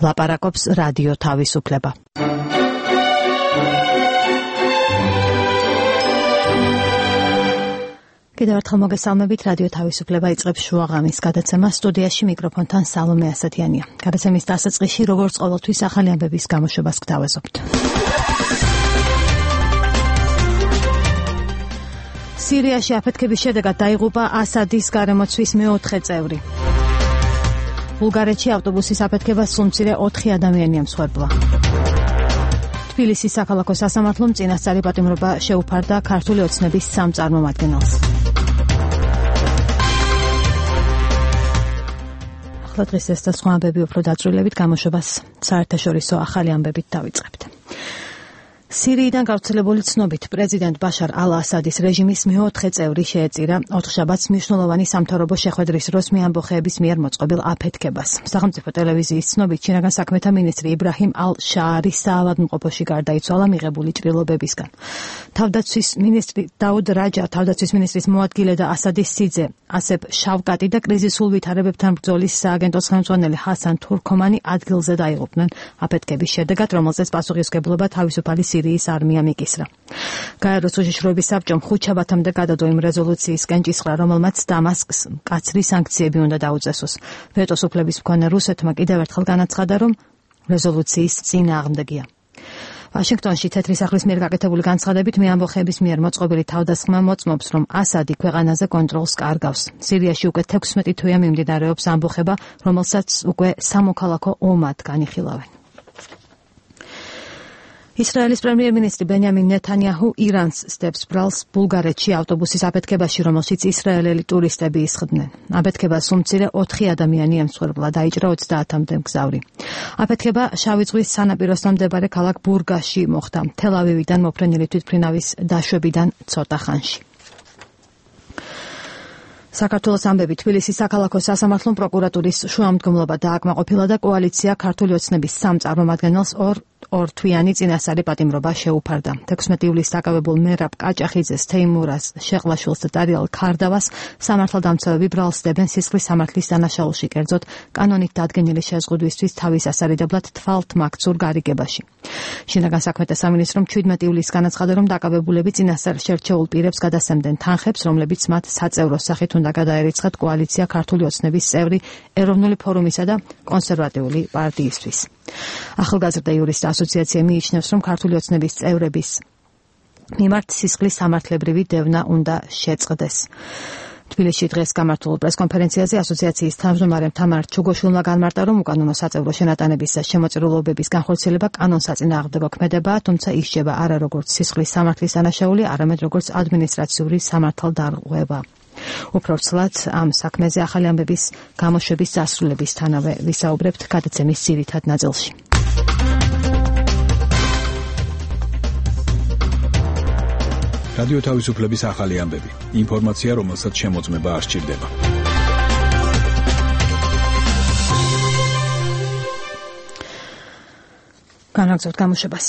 ლაპარაკობს რადიო თავისუფლება. კიდევ ერთხელ მოგესალმებით, რადიო თავისუფლება იწყებს შუაღამის გადაცემას. სტუდიაში მიკროფონთან სალომე ასათიანია. გადაცემის დასაწყისში, როგორც ყოველთვის, ახალი ამბების გამოშვებას გვთავაზობთ. სირიაში აფეთქების შედეგად დაიღუპა ასადის გარემოცვის მეოთხე წევრი. ბულგარეთში ავტობუსის აფეთქებას სულ მცირე 4 ადამიანია მსხვერპლა. თბილისის საქალაქო სასამართლომ წინასწარი პატიმრობა შეუფარდა ქართული ოცნების 3 წარმომადგენელს. ახლა დღეს ეს და სხვა ამბები უფრო დაწვრილებით გამოშვებას საერთაშორისო ახალი ამბებით დავიწყებთ. სირიიდან გავრცელებული ცნობით პრეზიდენტ ბაშარ ალ-ასადის რეჟიმის მეოთხე წევრი შეეწირა ოთხშაბათს მნიშვნელოვანი სამთავრობო შეხვედრის დროს მეამბოხეების მიერ მოწყობილ აფეთქებას. სახელმწიფო ტელევიზიის ცნობით ჩინაგან საქმეთა მინისტრი იბრაჰიმ ალ-შაარი საავადმყოფოში გარდაიცვალა მიღებული ჭრილობებისგან. თავდაცვის მინისტრი დაუდ რაჯა, თავდაცვის მინისტრის მოადგილე და ასადის სიძე ასებ შავკატი და კრიზისულ ვითარებებთან ბრძოლის სააგენტოს ხელმძღვანელი ჰასან თურქომანი ადგილზე დაიღუპნენ აფეთქების შედეგად, რომელზეც პასუხისმგებლობა თავისუფალი სირიის არმია მიკისრა. გაეროს უშიშროების საბჭომ ხუთშაბათამდე გადადო იმ რეზოლუციისკენ ჭისყრა, რომელმაც დამასკს მკაცრი სანქციები უნდა დაუწესოს. ვეტოს უფლების მქონე რუსეთმა კიდევ ერთხელ განაცხადა, რომ რეზოლუციის წინააღმდეგია. ვაშინგტონში თეთრი სახლის მიერ გაკეთებული განცხადებით მეამბოხეების მიერ მოწყობილი თავდასხმა მოწმობს, რომ ასადი ქვეყანაზე კონტროლს კარგავს. სირიაში უკვე 16 თვეა მიმდინარეობს ამბოხება, რომელსაც უკვე სამოქალაქო ომად განიხილავენ. ისრაელის პრემიერ-მინისტრი ბენიამინ ნეთანიაჰუ ირანს სდებს ბრალს ბულგარეთში ავტობუსის აფეთქებაში, რომელშიც ისრაელელი ტურისტები ისხდნენ. აფეთქებას სულ მცირე 4 ადამიანია მსხვერპლა, დაიჭრა 30-მდე მგზავრი. აფეთქება შავი ზღვის სანაპიროსთან მდებარე ქალაქ ბურგასში მოხდა, თელ-ავივიდან მოფრენილი თვითმფრინავის დაშვებიდან ცოტა ხანში. საქართველოს ამბები თბილისის საქალაქო სასამართლომ პროკურატურის შუამდგომლობა დააკმაყოფილა და კოალიცია ქართული ოცნების 3 წარმომადგენელს ორთვიანი წინასწარი პატიმრობა შეუფარდა. 16 ივლისს დაკავებულ მერაბ კაჭახიძეს, თეიმურას შეყლაშვილს და დარიელ ქარდავას სამართალდამცავები ბრალს დებენ სისხლის სამართლის დანაშაულში, კერძოდ კანონით დადგენილი შეზღუდვისთვის თავის ასარიდებლად თვალთმაქცურ გარიგებაში. შინაგან საქმეთა სამინისტრომ 17 ივლისს განაცხადა, რომ დაკავებულები წინასწარ შერჩეულ პირებს გადასცემდნენ თანხებს, რომლებიც მათ საწევრო სახით უნდა გადაერიცხათ კოალიცია ქართული ოცნების წევრი ეროვნული ფორუმისა და კონსერვატიული პარტიისთვის. ახალგაზრდა იურისტთა ასოციაცია მიიჩნევს, რომ ქართული ოცნების წევრების მიმართ სისხლის სამართლებრივი დევნა უნდა შეწყდეს. თბილისში დღეს გამართულ პრესკონფერენციაზე ასოციაციის თავმჯდომარემ თამარ ჩუგოშვილმა განმარტა, რომ უკანონო საწევრო შენატანების და შემოწირულობების განხორციელება კანონსაწინააღმდეგო ქმედებაა, თუმცა ისჯება არა როგორც სისხლის სამართლის დანაშაული, არამედ როგორც ადმინისტრაციული სამართალდარღვევა. უფრო ცლად ამ საქმეზე ახალი ამბების გამოშვების დასრულებისთანავე ვისაუბრებთ გადაცემის ძირითად ნაწილში. რადიო თავისუფლების ახალი ამბები. ინფორმაცია, რომელსაც შემოწმება არ სჭირდება. განაგრძობთ გამოშვებას.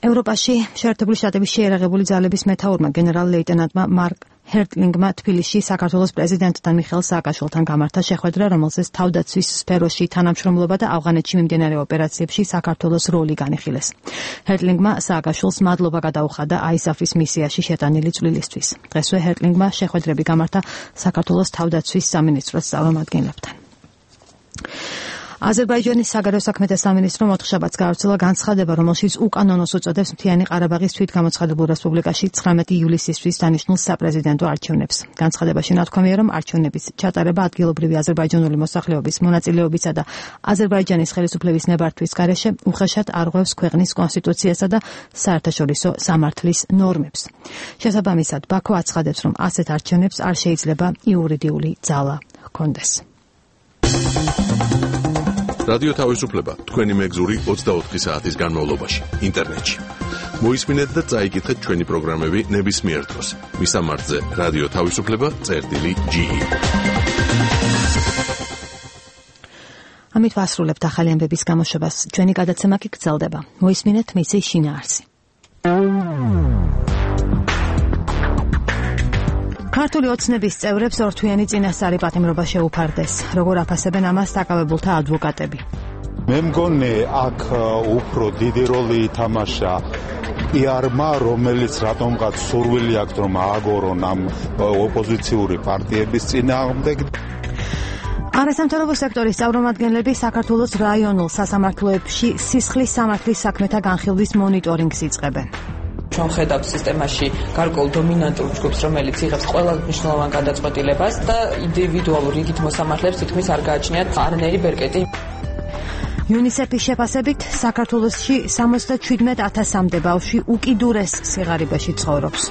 ევროპაში შეერთებული შტატების შეიარაღებული ძალების მეთაურმა გენერალ-ლეიტენანტმა მარკ ჰერტლინგმა თბილისში საქართველოს პრეზიდენტთან მიხეილ სააკაშვილთან გამართა შეხვედრა, რომელზეც თავდაცვის სფეროში თანამშრომლობა და ავღანეთში მიმდინარე ოპერაციებში საქართველოს როლი განიხილეს. ჰერტლინგმა სააკაშვილს მადლობა გადაუხადა ISAF-ის მისიაში შეტანილი წვლილისთვის. დღესვე ჰერტლინგმა შეხვედრები გამართა საქართველოს თავდაცვის სამინისტროს წარმომადგენლებთან. აზერბაიჯანის საგარეო საქმეთა სამინისტრომ ოთხშაბათს გაავრცელა განცხადება, რომელშიც უკანონოს უწოდებს მთიანი ყარაბაღის თვითგამოცხადებულ რესპუბლიკაში 19 ივლისისთვის დანიშნულ საპრეზიდენტო არჩევნებს. განცხადებაში ნათქვამია, რომ არჩევნების ჩატარება ადგილობრივი აზერბაიჯანული მოსახლეობის მონაწილეობისა და აზერბაიჯანის ხელისუფლების ნებართვის გარეშე უხეშად არღვევს ქვეყნის კონსტიტუციასა და საერთაშორისო სამართლის ნორმებს. შესაბამისად, ბაქო აცხადებს, რომ ასეთ არჩევნებს არ შეიძლება იურიდიული ძალა ჰქონდეს. რადიო თავისუფლება თქვენი მეგზური 24 საათის განმავლობაში ინტერნეტში. მოისმინეთ და წაიკითხეთ ჩვენი პროგრამები ნებისმიერ დროს. მისამართზე რადიო თავისუფლება.ge. ამით ვასრულებთ ახალი ამბების გამოშვებას. ჩვენი გადაცემა კი გრძელდება. მოისმინეთ მისი შინაარსი. ქართული ოცნების წევრებს ორთვიანი წინასწარი პატიმრობა შეუფარდეს. როგორ აფასებენ ამას დაკავებულთა ადვოკატები. მე მგონი აქ უფრო დიდი როლი ითამაშა იარმა, რომელიც რატომღაც სურვილი აქვს რომ ააგორონ ამ ოპოზიციური პარტიების წინააღმდეგ. არასამთავრობო სექტორის წარმომადგენლები საქართველოს რაიონულ სასამართლოებში სისხლის სამართლის საქმეთა განხილვის მონიტორინგს იწყებენ. ჩვენ ხედავთ სისტემაში გარკვეულ დომინანტურ ჯგუფს, რომელიც იღებს ყველა მნიშვნელოვან გადაწყვეტილებას და ინდივიდუალურ რიგით მოსამართლეებს თითქმის არ გააჩნიათ არანაირი ბერკეტი. UNICEF-ის შეფასებით საქართველოში 77,000-მდე ბავშვი უკიდურეს სიღარიბეში ცხოვრობს.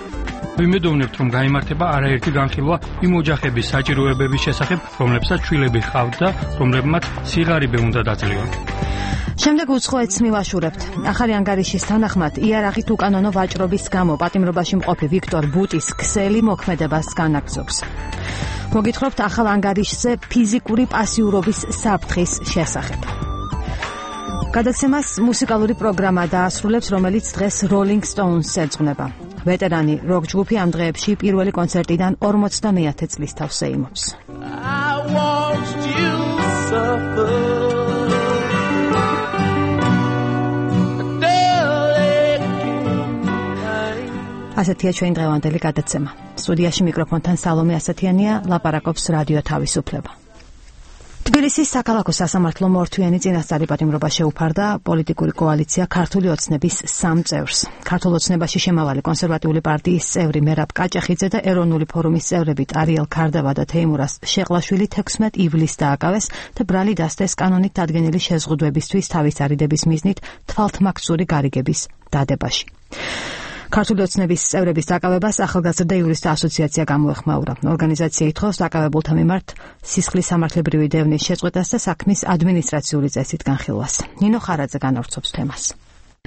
ვიმედოვნებთ, რომ გაიმართება არაერთი განხილვა იმ ოჯახების საჭიროებების შესახებ, რომლებსაც შვილები ჰყავთ და რომლებმაც სიღარიბე უნდა დაძლევან. შემდეგ უცხოეთს მივაშურებთ. ახალი ანგარიშის თანახმად იარაღით უკანონო ვაჭრობის გამო პატიმრობაში მყოფი ვიქტორ ბუტის ქსელი მოქმედებას განაგრძობს. მოგითხრობთ ახალ ანგარიშზე ფიზიკური პასიურობის საფრთხის შესახებ. გადაცემას მუსიკალური პროგრამა დაასრულებს, რომელიც დღეს Rolling Stones-ს ეძღვნება. ვეტერანი როკ ჯგუფი ამ დღეებში პირველი კონცერტიდან 50-მეათე წლის თავს ეიმობს. ასეთია ჩვენი დღევანდელი გადაცემა. სტუდიაში მიკროფონთან სალომე ასათიანია, ლაპარაკობს რადიო თავისუფლება. თბილისის საქალაქო სასამართლომ ორთვიანი წინასწარი პატიმრობა შეუფარდა პოლიტიკური კოალიცია ქართული ოცნების 3 წევრს. ქართულ ოცნებაში შემავალი კონსერვატიული პარტიის წევრი მერაბ კაჭახიძე და ეროვნული ფორუმის წევრები არიელ ქარდავა და თეიმურას შეყლაშვილი 16 ივლისს დააკავეს და ბრალი დასდეს კანონით დადგენილი შეზღუდვებისთვის თავის არიდების მიზნით თვალთმაქცური გარიგების დადებაში. ქართული ოცნების წევრების დაკავებას ახალგაზრდა იურისტთა ასოციაცია გამოეხმაურა. ორგანიზაცია ითხოვს დაკავებულთა მიმართ სისხლის სამართლებრივი დევნის შეწყვეტას და საქმის ადმინისტრაციული წესით განხილვას. ნინო ხარაძე განავრცობს თემას.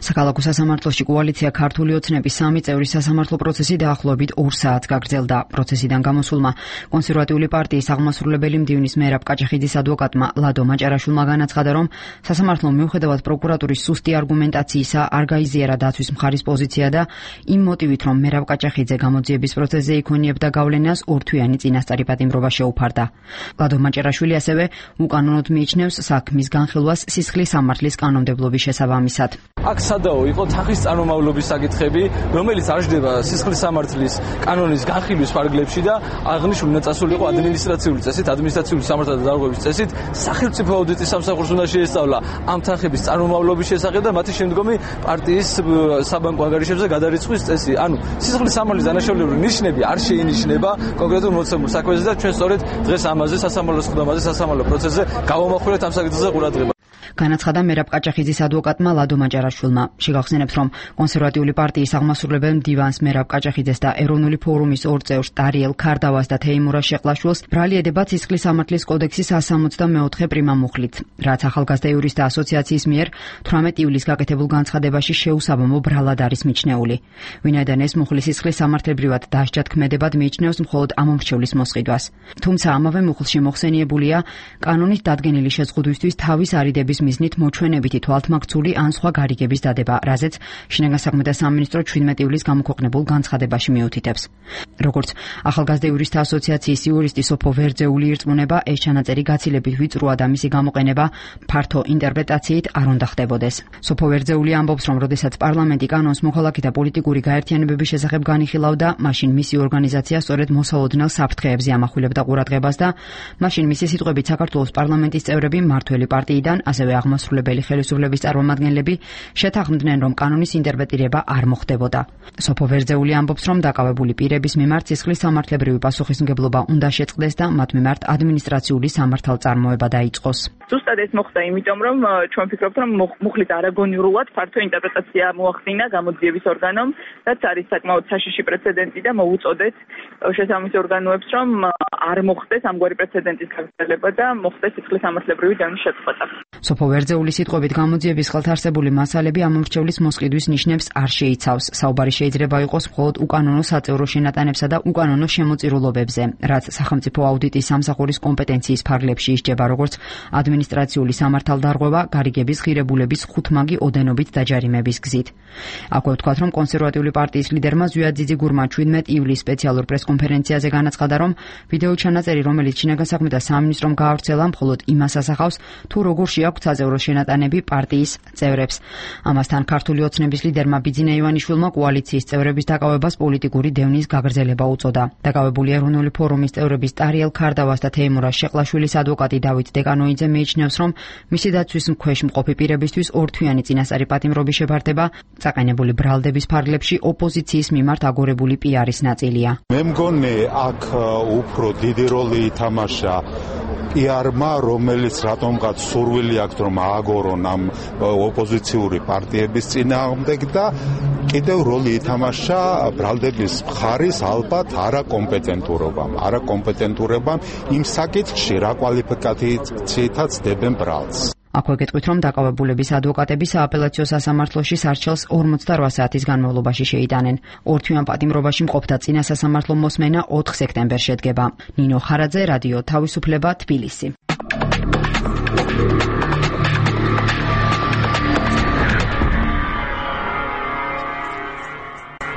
საქალაქო სასამართლოში კოალიცია ქართული ოცნების 3 წევრის სასამართლო პროცესი დაახლოებით 2 საათს გაგრძელდა. პროცესიდან გამოსულმა კონსერვატიული პარტიის აღმასრულებელი მდივნის მერაბ კაჭახიძის ადვოკატმა ლადო მაჭარაშვილმა განაცხადა, რომ სასამართლომ მიუხედავად პროკურატურის სუსტი არგუმენტაციისა არ გაიზიარა დაცვის მხარის პოზიცია და იმ მოტივით, რომ მერაბ კაჭახიძე გამოძიების პროცესზე იქონიებდა გავლენას, ორთვიანი წინასწარი პატიმრობა შეუფარდა. ლადო მაჭარაშვილი ასევე უკანონოდ მიიჩნევს საქმის განხილვას სისხლის სამართლის კანონმდებლობის შესაბამისად. სადაო იყო თანხის წარმომავლობის საკითხები, რომელიც აღждდება სისხლის სამართლის კანონის განხილვის ფარგლებში და აღნიშნული უნდა წასული იყო ადმინისტრაციული წესით, ადმინისტრაციული სამართალთა დარღვევის წესით, სახელმწიფო აუდიტის სამსახურს უნდა შეესწავლა ამ თანხების წარმომავლობის შესახებ და მათი შემდგომი პარტიის საბანკო ანგარიშებზე გადარიცხვის წესი. ანუ სისხლის სამართლის დანაშაულებული ნიშნები არ შეინიშნება კონკრეტულ მოცემულ საქმეზე და ჩვენ სწორედ დღეს ამაზე სასამართლოს ხდომაზე სასამართლო პროცესზე გავამახვილეთ ამ საკითხზე ყურადღება. განაცხადა მერაბ კაჭახიძის ადვოკატმა ლადო მაჭარაშვილმა. შეგახსენებთ, რომ კონსერვატიული პარტიის აღმასრულებელ მდივანს მერაბ კაჭახიძეს და ეროვნული ფორუმის 2 წევრს არიელ ქარდავას და თეიმურას შეყლაშვილს ბრალი ედება სისხლის სამართლის კოდექსის 164 პრიმა მუხლით, რაც ახალგაზრდა იურისტთა ასოციაციის მიერ 18 ივლისს გაკეთებულ განცხადებაში შეუსაბამო ბრალად არის მიჩნეული. ვინაიდან ეს მუხლის სისხლის სამართლებრივად დასჯად ქმედებად მიიჩნევს მხოლოდ ამომრჩევლის მოსყიდვას. თუმცა ამავე მუხლში მოხსენიებულია კანონით დადგენილი შეზღუდვისთვის თავის არიდების მიზნით მოჩვენებითი თვალთმაქცული ან სხვა გარიგების დადება, რაზეც შინაგან საქმეთა სამინისტრო 17 ივლისს გამოქვეყნებულ განცხადებაში მიუთითებს. როგორც ახალგაზრდა იურისტთა ასოციაციის იურისტი სოფო ვერძეული ირწმუნება, ეს ჩანაწერი გაცილებით ვიწროა და მისი გამოყენება ფართო ინტერპრეტაციით არ უნდა ხდებოდეს. სოფო ვერძეული ამბობს, რომ როდესაც პარლამენტი კანონს მოქალაქეთა პოლიტიკური გაერთიანებების შესახებ განიხილავდა, მაშინ მისი ორგანიზაცია სწორედ მოსალოდნელ საფრთხეებზე ამახვილებდა ყურადღებას და მაშინ მისი სიტყვებით საქართველოს პარლამენტის წევრები მმართველი პარტიიდან ასევე აღმასრულებელი ხელისუფლების წარმომადგენლები შეთანხმდნენ, რომ კანონის ინტერპრეტირება არ მოხდებოდა. სოფო ვერძეული ამბობს, რომ დაკავებული პირების მიმართ სისხლის სამართლებრივი პასუხისმგებლობა უნდა შეწყდეს და მათ მიმართ ადმინისტრაციული სამართალწარმოება დაიწყოს. ზუსტად ეს მოხდა, იმიტომ რომ ჩვენ ვფიქრობთ, რომ მუხლით არაგონიურად ფართო ინტერპრეტაცია მოახდინა გამოძიების ორგანომ, რაც არის საკმაოდ საშიში პრეცედენტი და მოუწოდეთ შესაბამის ორგანოებს, რომ არ მოხდეს ამგვარი პრეცედენტის გაგრძელება და მოხდეს სისხლის სამართლებრივი დევნის შეწყვეტა. სოფო ვერძეულის სიტყვებით გამოძიების ხელთარსებული მასალები ამომრჩევლის მოსყიდვის ნიშნებს არ შეიცავს. საუბარი შეიძლება იყოს მხოლოდ უკანონო საწევრო შენატანებსა და უკანონო შემოწირულობებზე, რაც სახელმწიფო აუდიტის სამსახურის კომპეტენციის ფარგლებში ისჯება როგორც ადმინისტრაციული სამართალდარღვევა გარიგების ღირებულების ხუთმაგი ოდენობით დაჯარიმების გზით. აქვე ვთქვათ, რომ კონსერვატიული პარტიის ლიდერმა ზვიად ძიძიგურმა 17 ივლისს სპეციალურ პრესკონფერენციაზე განაცხადა, რომ ვიდეო ჩანაწერი, რომელიც შინაგან საქმეთა სამინისტრომ გაავრცელა, მხოლოდ იმას ასახავს, თუ როგორ შეაქვს აქვთ საძევრო შენატანები პარტიის წევრებს. ამასთან ქართული ოცნების ლიდერმა ბიძინა ივანიშვილმა კოალიციის წევრების დაკავებას პოლიტიკური დევნის გაგრძელება უწოდა. დაკავებული ეროვნული ფორუმის წევრების ტარიელ ქარდავას და თეიმურას შეყლაშვილის ადვოკატი დავით დეკანოიძე მიიჩნევს, რომ მისი დაცვის ქვეშ მყოფი პირებისთვის ორთვიანი წინასწარი პატიმრობის შეფარდება წაყენებული ბრალდების ფარგლებში ოპოზიციის მიმართ აგორებული პიარის ნაწილია. მე მგონი აქ უფრო დიდი როლი ითამაშა პიარმა, რომელიც რატომღაც სურვილი აქვს რომ ააგორონ ამ ოპოზიციური პარტიების წინააღმდეგ და კიდევ როლი ითამაშა ბრალდების მხარის ალბათ არაკომპეტენტურობამ იმ საკითხში რა კვალიფიკაციითაც დებენ ბრალდს. აქვე გეტყვით, რომ დაკავებულების ადვოკატები სააპელაციო სასამართლოში სარჩელს 48 საათის განმავლობაში შეიტანენ. ორთვიან პატიმრობაში მყოფთა წინა სასამართლო მოსმენა 4 სექტემბერს შედგება. ნინო ხარაძე, რადიო თავისუფლება, თბილისი.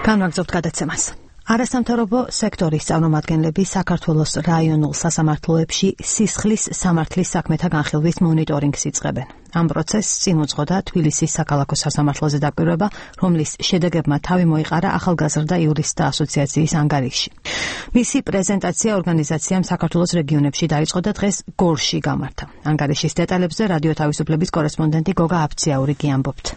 განვაგრძობთ გადაცემას. არასამთავრობო სექტორის წარმომადგენლები საქართველოს რაიონულ სასამართლოებში სისხლის სამართლის საქმეთა განხილვის მონიტორინგს იწყებენ. ამ პროცესს წინ უძღოდა თბილისის საქალაქო სასამართლოზე დაკვირვება, რომლის შედეგებმა თავი მოიყარა ახალგაზრდა იურისტთა ასოციაციის ანგარიში. მისი პრეზენტაცია ორგანიზაციამ საქართველოს რეგიონებში დაიწყო და დღეს გორში გამართა. ანგარიშის დეტალებზე რადიო თავისუფლების კორესპონდენტი გოგა აფციაურიგი ამბობთ.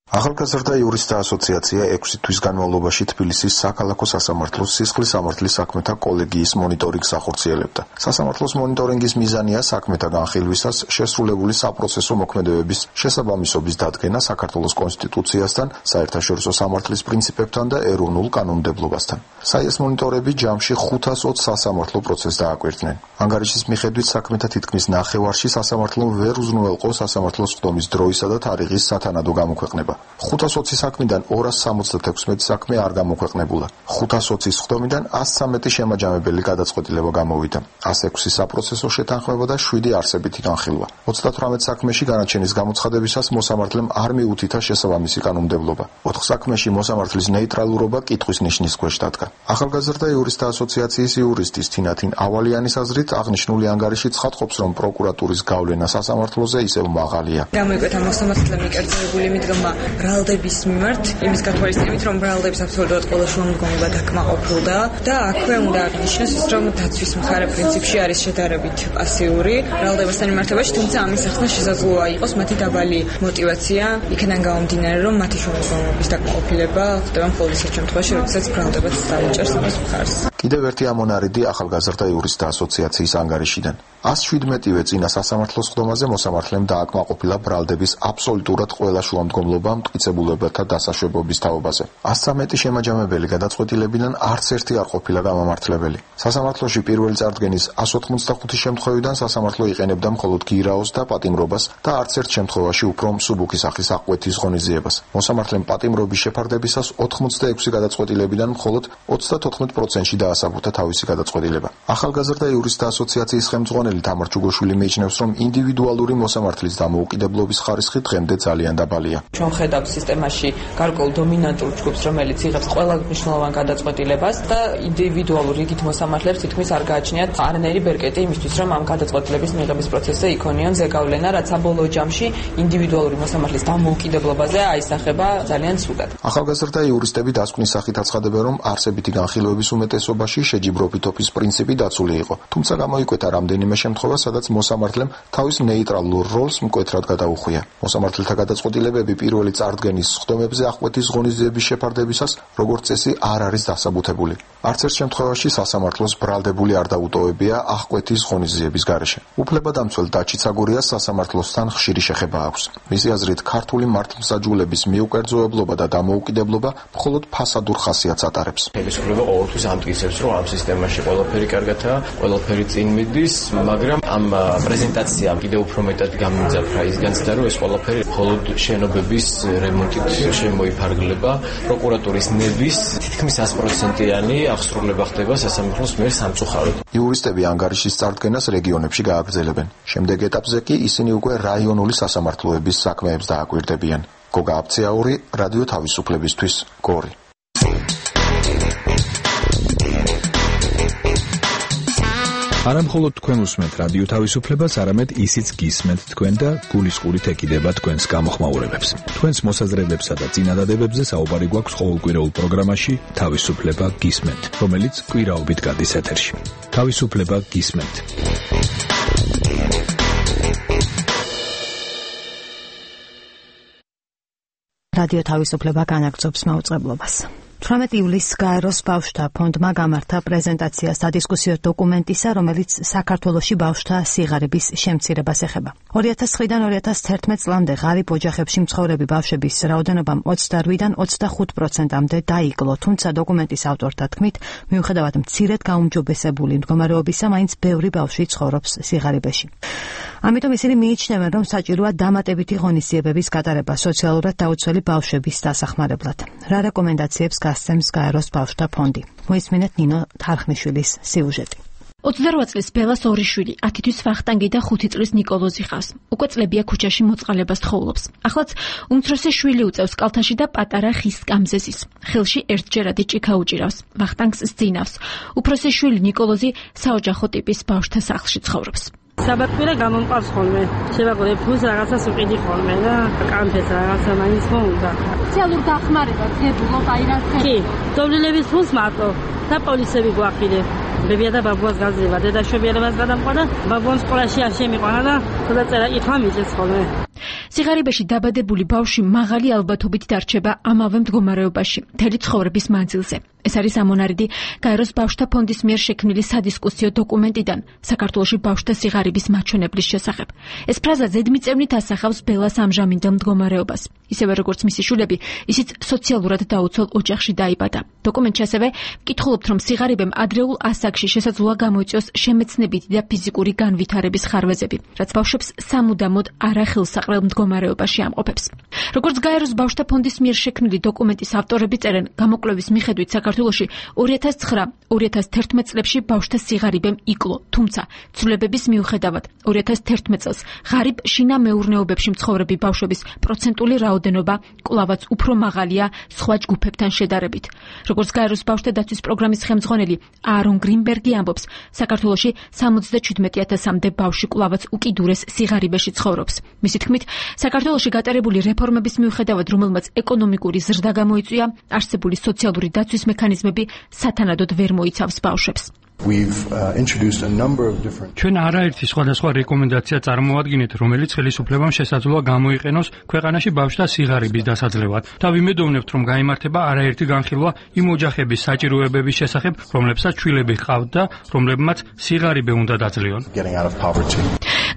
ახალგაზრდა იურისტთა ასოციაცია 6 თვის განმავლობაში თბილისის საქალაქო სასამართლოს სისხლის სამართლის საქმეთა კოლეგიის მონიტორინგს ახორციელებდა. სასამართლოს მონიტორინგის მიზანია საქმეთა განხილვისას შესრულებული საპროცესო მოქმედებების შესაბამისობის დადგენა საქართველოს კონსტიტუციასთან, საერთაშორისო სამართლის პრინციპებთან და ეროვნულ კანონმდებლობასთან. საიეს მონიტორები ჯამში 520 სასამართლო პროცესს დააკვირდნენ. ანგარიშის მიხედვით საქმეთა თითქმის ნახევარში სასამართლომ ვერ უზრუნველყო სასამართლოს ხდომის დროისა და თარიღის სათანადო გამოქვეყნება. 520 საქმიდან 276 საქმე არ გამოქვეყნებულა. 520-ის ხდომიდან 113 შემაჯამებელი გადაწყვეტილება გამოვიდა. 106 საპროცესო შეთანხმება და 7 არსებითი განხილვა. 38 საქმეში განაჩენის გამოცხადებისას მოსამართლემ არ მიუთითა შესაბამისი კანონმდებლობა. 4 საქმეში მოსამართლის ნეიტრალურობა კითხვის ნიშნის ქვეშ დადგა. ახალგაზრდა იურისტთა ასოციაციის იურისტის თინათინ ავალიანის აზრით აღნიშნული ანგარიში ცხადყოფს, რომ პროკურატურის გავლენა სასამართლოზე ისევ მაღალია. გამოიკვეთა მოსამართლემ მიკერძებული მიდგომა ბრალდების მიმართ, იმის გათვალისწინებით, რომ ბრალდებს აბსოლუტურად ყველა შუამდგომლობა დაკმაყოფილდა და აქვე უნდა აღნიშნოს ის, რომ დაცვის მხარე პრინციპში არის შედარებით პასიური ბრალდებასთან მიმართებაში, თუმცა ამის ახსნა შესაძლოა იყოს მათი დაბალი мотиваცია, იქიდან გამომდინარე, რომ მათი შუამდგომლობის დაკმაყოფილება ხდება მხოლოდ ისეთ შემთხვევაში, როდესაც ბრალდებაც დაუჭერს ამის მხარს. კიდევ ერთი ამონარიდი ახალგაზრდა იურისტთა ასოციაციის ანგარიშიდან. 117-ვე წინა სასამართლოს ხდომაზე მოსამართლემ დააკმაყოფილა ბრალდების აბსოლუტურად ყველა შუამდგომლობა მტკიცებულებათა დასაშვებობის თაობაზე. 113 შემაჯამებელი გადაწყვეტილებიდან არც ერთი არ ყოფილა გამამართლებელი. სასამართლოში პირველი წარდგენის 185 შემთხვევიდან სასამართლო იყენებდა მხოლოდ გირაოს და პატიმრობას და არც ერთ შემთხვევაში უფრო მსუბუქი სახის აღკვეთის ღონისძიებას. მოსამართლემ პატიმრობის შეფარდებისას 86 გადაწყვეტილებიდან მხოლოდ 34%-ში დაასაბუთა თავისი გადაწყვეტილება. ახალგაზრდა იურისტთა ასოციაციის ხელმძღვანელი თამარ ჩუგოშვილი მიიჩნევს, რომ ინდივიდუალური მოსამართლის დამოუკიდებლობის ხარისხი დღემდე ძალიან დაბალია. ჩვენ ხედავთ სისტემაში გარკვეულ დომინანტურ ჯგუფს, რომელიც იღებს ყველა მნიშვნელოვან გადაწყვეტილებას და ინდივიდუალურ რიგით მოსამართლებს თითქმის არ გააჩნიათ არანაირი ბერკეტი იმისთვის, რომ ამ გადაწყვეტილების მიღების პროცესზე იქონიონ ზეგავლენა, რაც საბოლოო ჯამში ინდივიდუალური მოსამართლის დამოუკიდებლობაზე აისახება ძალიან ცუდად. ახალგაზრდა იურისტები დასკვნის სახით აცხადებენ, რომ არსებითი განხილვების უმეტესობაში შეჯიბრობითობის პრინციპი დაცული იყო. თუმცა გამოიკვეთა რამდენიმე შემთხვევა, სადაც მოსამართლემ თავის ნეიტრალურ როლს მკვეთრად გადაუხვია. მოსამართლეთა გადაწყვეტილებები პირველი წარდგენის ხდომებზე აღკვეთის ღონისძიების შეფარდებისას, როგორც წესი, არ არის დასაბუთებული. არც ერთ შემთხვევაში სასამართლოს ბრალდებული არ დაუტოვებია აღკვეთის ღონისძიების გარეშე. უფლებადამცველ დაჩი ცაგურიას სასამართლოსთან ხშირი შეხება აქვს. მისი აზრით, ქართული მართლმსაჯულების მიუკერძოებლობა და დამოუკიდებლობა მხოლოდ ფასადურ ხასიათს ატარებს. ხელისუფლება ყოველთვის ამტკიცებს, რომ ამ სისტემაში ყველაფერი კარგადაა, ყველაფერი წინ მიდის, მაგრამ ამ პრეზენტაციამ კიდევ უფრო მეტად გამიმძაფრა ის განცდა, რომ ეს ყველაფერი მხოლოდ შენობების რემონტით შემოიფარგლება. პროკურატურის ნების თითქმის 100%-იანი აღსრულება ხდება სასამართლოს მიერ სამწუხაროდ. იურისტები ანგარიშის წარდგენას რეგიონებში გააგრძელებენ. შემდეგ ეტაპზე კი ისინი უკვე რაიონული სასამართლოების საქმეებს დააკვირდებიან. გოგა აფციაური, რადიო თავისუფლებისთვის, გორი. არა მხოლოდ თქვენ უსმენთ რადიო თავისუფლებას, არამედ ისიც გისმენთ თქვენ და გულისყურით ეკიდება თქვენს გამოხმაურებებს. თქვენს მოსაზრებებსა და წინადადებებზე საუბარი გვაქვს ყოველკვირეულ პროგრამაში თავისუფლება გისმენთ, რომელიც კვირაობით გადის ეთერში. თავისუფლება გისმენთ. რადიო თავისუფლება განაგრძობს მაუწყებლობას. 18 ივლისს გაეროს ბავშვთა ფონდმა გამართა პრეზენტაცია სადისკუსიო დოკუმენტისა, რომელიც საქართველოში ბავშვთა სიღარიბის შემცირებას ეხება. 2009-დან 2011 წლამდე ღარიბ ოჯახებში მცხოვრები ბავშვების რაოდენობამ 28-დან 25%-მდე დაიკლო, თუმცა დოკუმენტის ავტორთა თქმით, მიუხედავად მცირედ გაუმჯობესებული მდგომარეობისა, მაინც ბევრი ბავშვი ცხოვრობს სიღარიბეში. ამიტომ ისინი მიიჩნევენ, რომ საჭიროა დამატებითი ღონისძიებების გატარება სოციალურად დაუცველი ბავშვების დასახმარებლად. რა რეკომენდაციებს გასცემს გაეროს ბავშვთა ფონდი? მოისმინეთ ნინო თარხნიშვილის სიუჟეტი. 28 წლის ბელას 2 შვილი, 10 თვის ვახტანგი და 5 წლის ნიკოლოზი ყავს. უკვე წლებია ქუჩაში მოწყალებას თხოვლობს. ახლაც უმცროსი შვილი უწევს კალთაში და პატარა ხის სკამზე ზის. ხელში ერთჯერადი ჭიქა უჭირავს. ვახტანგს სძინავს. უფროსი შვილი ნიკოლოზი საოჯახო ტიპის ბავშვთა სახლში ცხოვრობს. საბატმირა გამომყავს ხოლმე. შევაგორე ფულს რაღაცას უყიდი ხოლმე და კანფეს რაღაცა მაინც მოუნდა. სოციალურ დახმარება ძებულობ აი რა ხე. კი, დოვლილების ფულს მარტო და პოლიცები გვაყიდე. ბებია და ბაბუას გაძლევა, დედაშვებიერებას გადამყვა, ბაბუას სკოლაში არ შემიყვანა და ხოდაწერა იხმა მიჭეს ხოლმე. სიღარიბეში დაბადებული ბავშვი მაღალი ალბათობით დარჩება ამავე მდგომარეობაში, მთელი ცხოვრების მანძილზე. ეს არის ამონარიდი გაეროს ბავშვთა ფონდის მიერ შექმნილი სადისკუსიო დოკუმენტიდან საქართველოში ბავშვთა სიღარიბის მაჩვენებლის შესახებ. ეს ფრაზა ზედმიწევნით ასახავს ბელას ამჟამინდელ მდგომარეობას. ისევე როგორც მისი შვილები, ისიც სოციალურად დაუცველ ოჯახში დაიბადა. დოკუმენტში ასევე ვკითხულობთ, რომ სიღარიბემ ადრეულ ასაკში შესაძლოა გამოიწვიოს შემეცნებითი და ფიზიკური განვითარების ხარვეზები, რაც ბავშვებს სამუდამოდ არახელსაყრელ მდგომარეობაში ამყოფებს. როგორც გაეროს ბავშვთა ფონდის მიერ შექმნილი დოკუმენტის ავტორები წერენ, გამოკვლევის მიხედვით საქართველოში 2009-2011 წლებში ბავშვთა სიღარიბემ იკლო, თუმცა ცვლილებების მიუხედავად 2011 წელს ღარიბ შინა მეურნეობებში მცხოვრები ბავშვების პროცენტული რაოდენობა კვლავაც უფრო მაღალია სხვა ჯგუფებთან შედარებით. როგორც გაეროს ბავშვთა დაცვის პროგრამის ხელმძღვანელი აარონ გრინბერგი ამბობს, საქართველოში 77,000-მდე ბავშვი კვლავაც უკიდურეს სიღარიბეში ცხოვრობს. მისი თქმით, საქართველოში გატარებული რეფორმების მიუხედავად, რომელმაც ეკონომიკური ზრდა გამოიწვია, არსებული სოციალური დაცვის მექანიზმები სათანადოდ ვერ მოიცავს ბავშვებს. ჩვენ არაერთი სხვადასხვა რეკომენდაცია წარმოადგენთ, რომელიც ხელისუფლებამ შესაძლოა გამოიყენოს ქვეყანაში ბავშვთა სიღარიბის დასაძლევად. და ვიმედოვნებთ, რომ გაიმართება არაერთი განხილვა იმ ოჯახების საჭიროებების შესახებ, რომლებსაც შვილები ჰყავთ და რომლებმაც სიღარიბე უნდა დაძლიონ.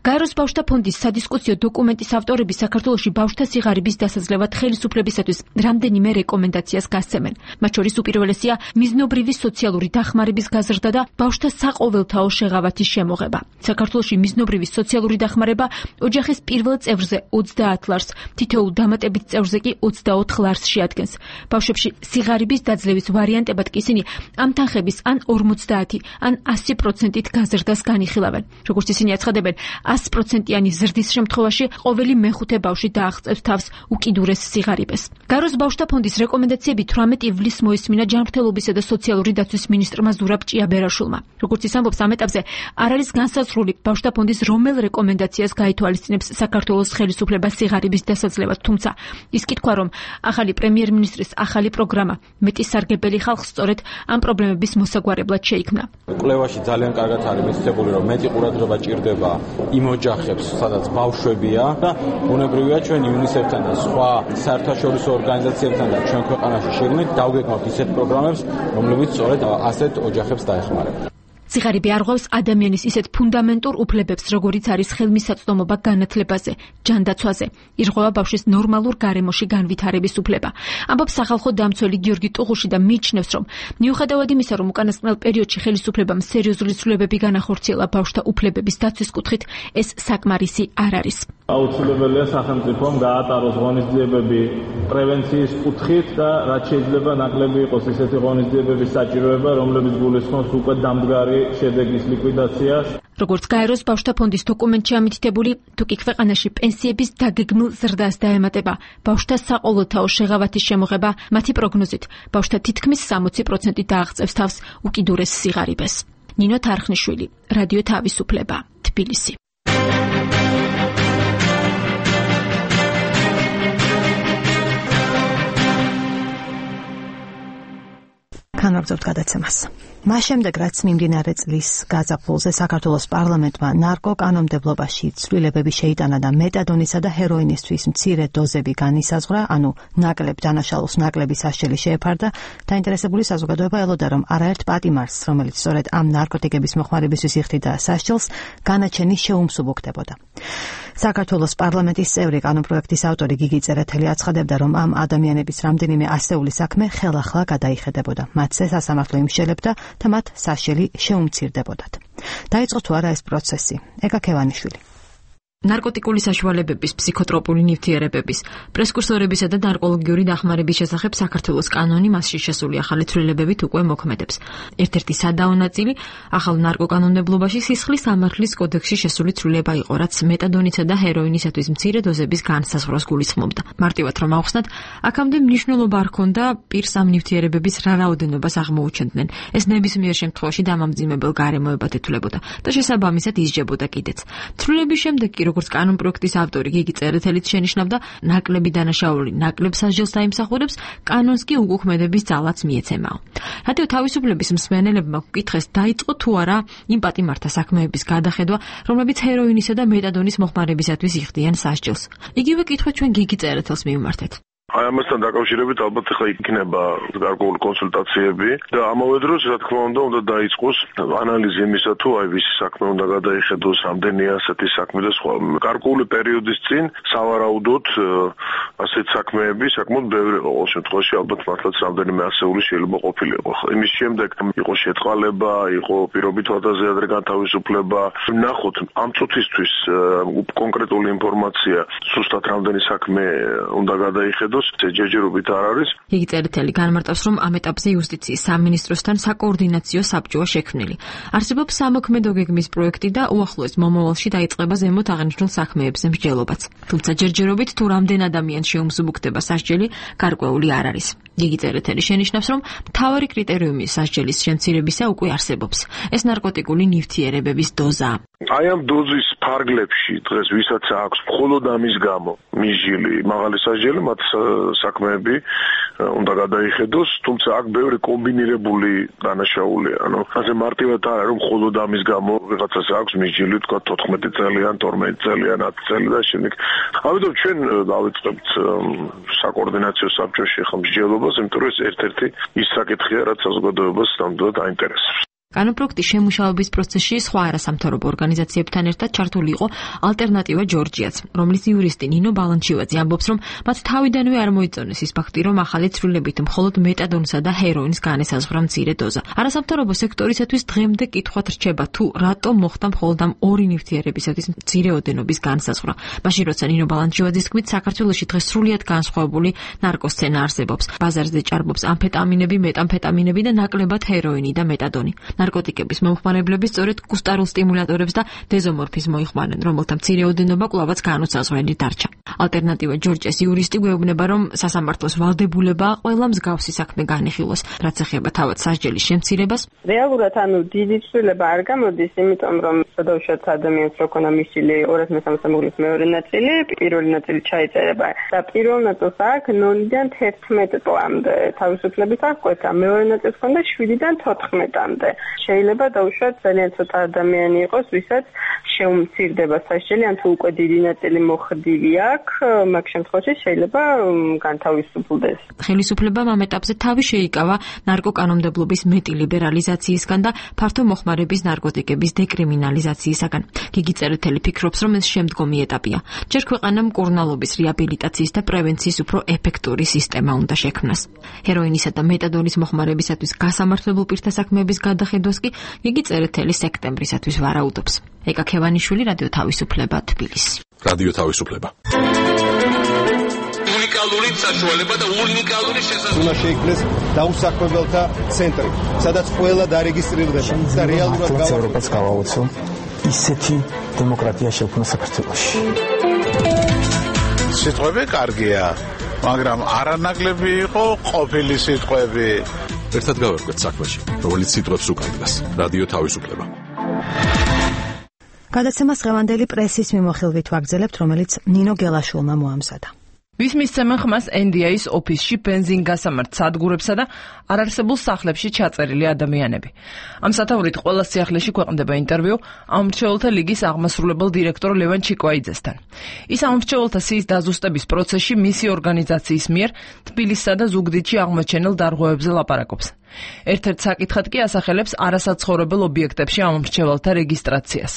გაეროს ბავშვთა ფონდის სადისკუსიო დოკუმენტის ავტორები საქართველოში ბავშვთა სიღარიბის დასაძლევად ხელისუფლებისათვის რამდენიმე რეკომენდაციას გასცემენ. მათ შორის უპირველესია მიზნობრივი სოციალური დახმარების გაზრდა და ბავშვთა საყოველთაო შეღავათის შემოღება. საქართველოში მიზნობრივი სოციალური დახმარება ოჯახის პირველ წევრზე 20 ლარს, თითოეულ დამატებით წევრზე კი 24 ლარს შეადგენს. ბავშვებში სიღარიბის დაძლევის ვარიანტებად კი ისინი ამ თანხების ან 50 ან 100%-ით გაზრდას განიხილავენ. როგორც ისინი აცხადებენ, 100%-იანი ზრდის შემთხვევაში ყოველი მეხუთე ბავშვი დააღწევს თავს უკიდურეს სიღარიბეს. გაეროს ბავშვთა ფონდის რეკომენდაციები 18 ივლისს მოისმინა ჯანმრთელობისა და სოციალური დაცვის მინისტრმა ზურაბ ჭიაბერაშვილმა. როგორც ის ამბობს, ამ ეტაპზე არ არის განსაზღვრული ბავშვთა ფონდის რომელ რეკომენდაციას გაითვალისწინებს საქართველოს ხელისუფლება სიღარიბის დასაძლევად, თუმცა ის კი თქვა, რომ ახალი პრემიერ-მინისტრის ახალი პროგრამა მეტი სარგებელი ხალხს სწორედ ამ პრობლემების მოსაგვარებლად შეიქმნა. კვლევაში ძალიან კარგად არის მითითებული, რომ მეტი ყურადღება ჭირდება იმ ოჯახებს, სადაც ბავშვებია და ბუნებრივია ჩვენ UNICEF-თან და სხვა საერთაშორისო ორგანიზაციებთან და ჩვენ ქვეყანაში შეგნით დავგეგმავთ ისეთ პროგრამებს, რომლებიც სწორედ ასეთ ოჯახებს დაეხმარება. სიღარიბე არღვევს ადამიანის ისეთ ფუნდამენტურ უფლებებს, როგორიც არის ხელმისაწვდომობა განათლებაზე, ჯანდაცვაზე. ირღვევა ბავშვის ნორმალურ გარემოში განვითარების უფლება. ამბობს სახალხო დამცველი გიორგი ტუღუში და მიიჩნევს, რომ მიუხედავად იმისა, რომ უკანასკნელ პერიოდში ხელისუფლებამ სერიოზული ცვლილებები განახორციელა ბავშვთა უფლებების დაცვის კუთხით, ეს საკმარისი არ არის. აუცილებელია სახელმწიფომ გაატაროს ღონისძიებები პრევენციის კუთხით და რაც შეიძლება ნაკლები იყოს ისეთი ღონისძიებების საჭიროება, რომლებიც გულისხმობს უკვე დამდგარი შედეგის ლიკვიდაციას. როგორც გაეროს ბავშვთა ფონდის დოკუმენტში ამითითებული, თუკი ქვეყანაში პენსიების დაგეგმილ ზრდას დაემატება ბავშვთა საყოველთაო შეღავათის შემოღება, მათი პროგნოზით ბავშვთა თითქმის 60% დააღწევს თავს უკიდურეს სიღარიბეს. ნინო თარხნიშვილი, რადიო თავისუფლება, თბილისი. განვაგრძობთ გადაცემას. მას შემდეგ, რაც მიმდინარე წლის გაზაფხულზე საქართველოს პარლამენტმა ნარკოკანონმდებლობაში ცვლილებები შეიტანა და მეტადონისა და ჰეროინისთვის მცირე დოზები განისაზღვრა, ანუ ნაკლებ დანაშაულს ნაკლები სასჯელი შეეფარდა, დაინტერესებული საზოგადოება ელოდა, რომ არაერთ პატიმარს, რომელიც სწორედ ამ ნარკოტიკების მოხმარებისთვის იხდიდა სასჯელს, განაჩენი შეუმსუბუქდებოდა. საქართველოს პარლამენტის წევრი კანონპროექტის ავტორი გიგი წერეთელი აცხადებდა, რომ ამ ადამიანების რამდენიმე ასეული საქმე ხელახლა გადაიხედებოდა. მათზე სასამართლო იმსჯელებდა და მათ სასჯელი შეუმცირდებოდათ. დაიწყო თუ არა ეს პროცესი? ეკა ქევანიშვილი. ნარკოტიკული საშუალებების, ფსიქოტროპული ნივთიერებების, პრესკურსორებისა და ნარკოლოგიური დახმარების შესახებ საქართველოს კანონი მასში შესული ახალი ცვლილებებით უკვე მოქმედებს. ერთ-ერთი სადაო ნაწილი ახალ ნარკოკანონმდებლობაში სისხლის სამართლის კოდექსში შესული ცვლილება იყო, რაც მეტადონისა და ჰეროინისათვის მცირე დოზების განსაზღვრას გულისხმობდა. მარტივად რომ ავხსნათ, აქამდე მნიშვნელობა არ ჰქონდა პირს ამ ნივთიერებების რა რაოდენობას აღმოუჩენდნენ. ეს ნებისმიერ შემთხვევაში დამამძიმებელ გარემოებად ითვლებოდა და შესაბამისად ისჯებოდა კიდეც. ცვლილების შემდეგ კი როგორც კანონპროექტის ავტორი გიგი წერეთელიც შენიშნავდა, ნაკლები დანაშაული ნაკლებ სასჯელს დაიმსახურებს, კანონს კი უკუქმედების ძალაც მიეცემაო. რადიო თავისუფლების მსმენელებმა გკითხეს, დაიწყო თუ არა იმ პატიმართა საქმეების გადახედვა, რომლებიც ჰეროინისა და მეტადონის მოხმარებისათვის იხდიან სასჯელს. იგივე კითხვა ჩვენ გიგი წერეთელს მივმართეთ. აი ამასთან დაკავშირებით ალბათ ახლა იქნება გარკვეული კონსულტაციები და ამავე დროს რა თქმა უნდა დაიწყოს ანალიზი იმისა თუ აი ვისი საქმე უნდა გადაიხედოს, რამდენია ასეთი საქმე და სხვა. გარკვეული პერიოდის წინ სავარაუდოდ ასეთ საქმეები საკმაოდ ბევრი იყო. ყოველ შემთხვევაში ალბათ მართლაც რამდენიმე ასეული შეიძლება ყოფილიყო. იმის შემდეგ იყო შეწყალება, იყო პირობით ვადაზე ადრე განთავისუფლება. ნახოთ ამ წუთისთვის კონკრეტული ინფორმაცია ზუსტად რამდენი საქმე უნდა გადაიხედოს ჯერჯერობით არ არის. იგი წერეთელი განმარტავს, რომ ამ ეტაპზე იუსტიციის სამინისტროსთან საკოორდინაციო საბჭოა შექმნილი. არსებობს სამოქმედო გეგმის პროექტი და უახლოეს მომავალში დაიწყება ზემოთ აღნიშნულ საქმეებზე მსჯელობაც. თუმცა ჯერჯერობით თუ რამდენ ადამიანს შეუმსუბუქდება სასჯელი, გარკვეული არ არის. იგი წერეთელი შენიშნავს, რომ მთავარი კრიტერიუმი სასჯელის შემცირებისა უკვე არსებობს. ეს ნარკოტიკული ნივთიერებების დოზაა. აი ამ დოზის ფარგლებში დღეს ვისაც აქვს მხოლოდ ამის გამო მიჟილი მაღალი სასჯელი, მათ საქმეები უნდა გადაიხედოს, თუმცა აქ ბევრი კომბინირებული დანაშაულია. ანუ ასე მარტივად არა რომ მხოლოდ ამის გამო ვიღაცას აქვს მიჯილი, თქვა 14 წელიან, 12 წელიან, 10 წელი და შემდეგ. ამიტომ ჩვენ დავიწყებთ საკოორდინაციო საბჭოში ხომ მსჯელობას, იმიტომ რომ ეს ერთ-ერთი ის საკითხია, რაც საზოგადოებას ნამდვილად აინტერესებს. კანონპროექტის შემუშავების პროცესში სხვა არასამთავრობო ორგანიზაციებთან ერთად ჩართული იყო ალტერნატივა ჯორჯიაც, რომლის იურისტი ნინო ბალანჩივაძე ამბობს, რომ მათ თავიდანვე არ მოიწონეს ის ფაქტი, რომ ახალი ცვლილებით მხოლოდ მეტადონსა და ჰეროინის განესაზღვრა მცირე დოზა. არასამთავრობო სექტორისათვის დღემდე კითხვად რჩება, თუ რატომ მოხდა მხოლოდ ამ ორი ნივთიერებისათვის მცირე ოდენობის განსაზღვრა. მაშინ როცა ნინო ბალანჩივაძის თქმით, საქართველოში დღეს სრულიად განსხვავებული ნარკოსცენა არსებობს. ბაზარზე ჭარბობს ამფეტამინები, მეტამფეტამინები და ნაკლებად ჰეროინი და მეტადონი. ნარკოტიკების მომხმარებლები სწორედ კუსტარულ სტიმულატორებს და დეზომორფიზმს მოიხმარენ, რომელთა მცირე ოდენობა კვლავაც განუსაზღვრელი დარჩა. ალტერნატივა ჯორჯის იურისტი გვეუბნება, რომ სასამართლოს ვალდებულებაა ყველა მსგავსი საქმე განიხილოს, რაც ეხება თავად სასჯელის შემცირებას. რეალურად დიდი ცვლილება არ გამოდის, იმიტომ რომ სადავშოთ ადამიანს რო ქონა მისილი 213 მუღლის მეორე ნაწილი, პირველი ნაწილი ჩაიწერება და პირველ ნაწილს აქ 0-დან 11 წლამდე თავისუფლებით აღკვეთა, მეორე ნაწილს ქონდა 7-დან 14-მდე. შეიძლება დაუშვათ ძალიან ცოტა ადამიანი იყოს, ვისაც შეუმცირდება სასჯელი, ან თუ უკვე დიდი ნაწილი მოხდილი აქვს, მაგ შემთხვევაში შეიძლება განთავისუფლდეს. ხელისუფლებამ ამ ეტაპზე თავი შეიკავა ნარკოკანონმდებლობის მეტი ლიბერალიზაციისგან და ფართო მოხმარების ნარკოტიკების დეკრიმინალიზაციისაგან. გიგი წერეთელი ფიქრობს, რომ ეს შემდგომი ეტაპია. ჯერ ქვეყანამ მკურნალობის რეაბილიტაციის და პრევენციის უფრო ეფექტური სისტემა უნდა შექმნას. ჰეროინისა და მეტადონის მოხმარებისათვის გასამართლებელ პირთა საქმეების გადახედვას კი იგი წერეთელი სექტემბრისათვის ვარაუდობს. ეკა ქევანიშვილი, რადიო თავისუფლება, თბილისი. რადიო თავისუფლება. უნიკალური საშუალება და უნიკალური შესაძლებლობა. უნდა შეიქმნეს დაუსაქმებელთა ცენტრი, სადაც ყველა დარეგისტრირდება და რეალურად ევროპას გავაოცო ისეთი დემოკრატია შექმნა საქართველოში. სიტყვები კარგია, მაგრამ არანაკლები იყო ყოფილი სიტყვები. ერთად გავერკვეთ საქმეში, რომელიც სიტყვებს უკანდას. რადიო თავისუფლება. გადაცემას დღევანდელი პრესის მიმოხილვით ვაგრძელებთ, რომელიც ნინო გელაშვილმა მოამზადა. ვის მისცემენ ხმას NDI-ის ოფისში ბენზინგასამართ სადგურებსა და არარსებულ სახლებში ჩაწერილი ადამიანები. ამ სათაურით ყველა სიახლეში ქვეყნდება ინტერვიუ ამრჩეველთა ლიგის აღმასრულებელ დირექტორ ლევან ჩიკვაიძესთან. ის ამრჩეველთა სიის დაზუსტების პროცესში მისი ორგანიზაციის მიერ თბილისსა და ზუგდიდში აღმოჩენილ დარღვევებზე ლაპარაკობს. ერთ-ერთ საკითხად კი ასახელებს არასაცხოვრებელ ობიექტებში ამრჩეველთა რეგისტრაციას.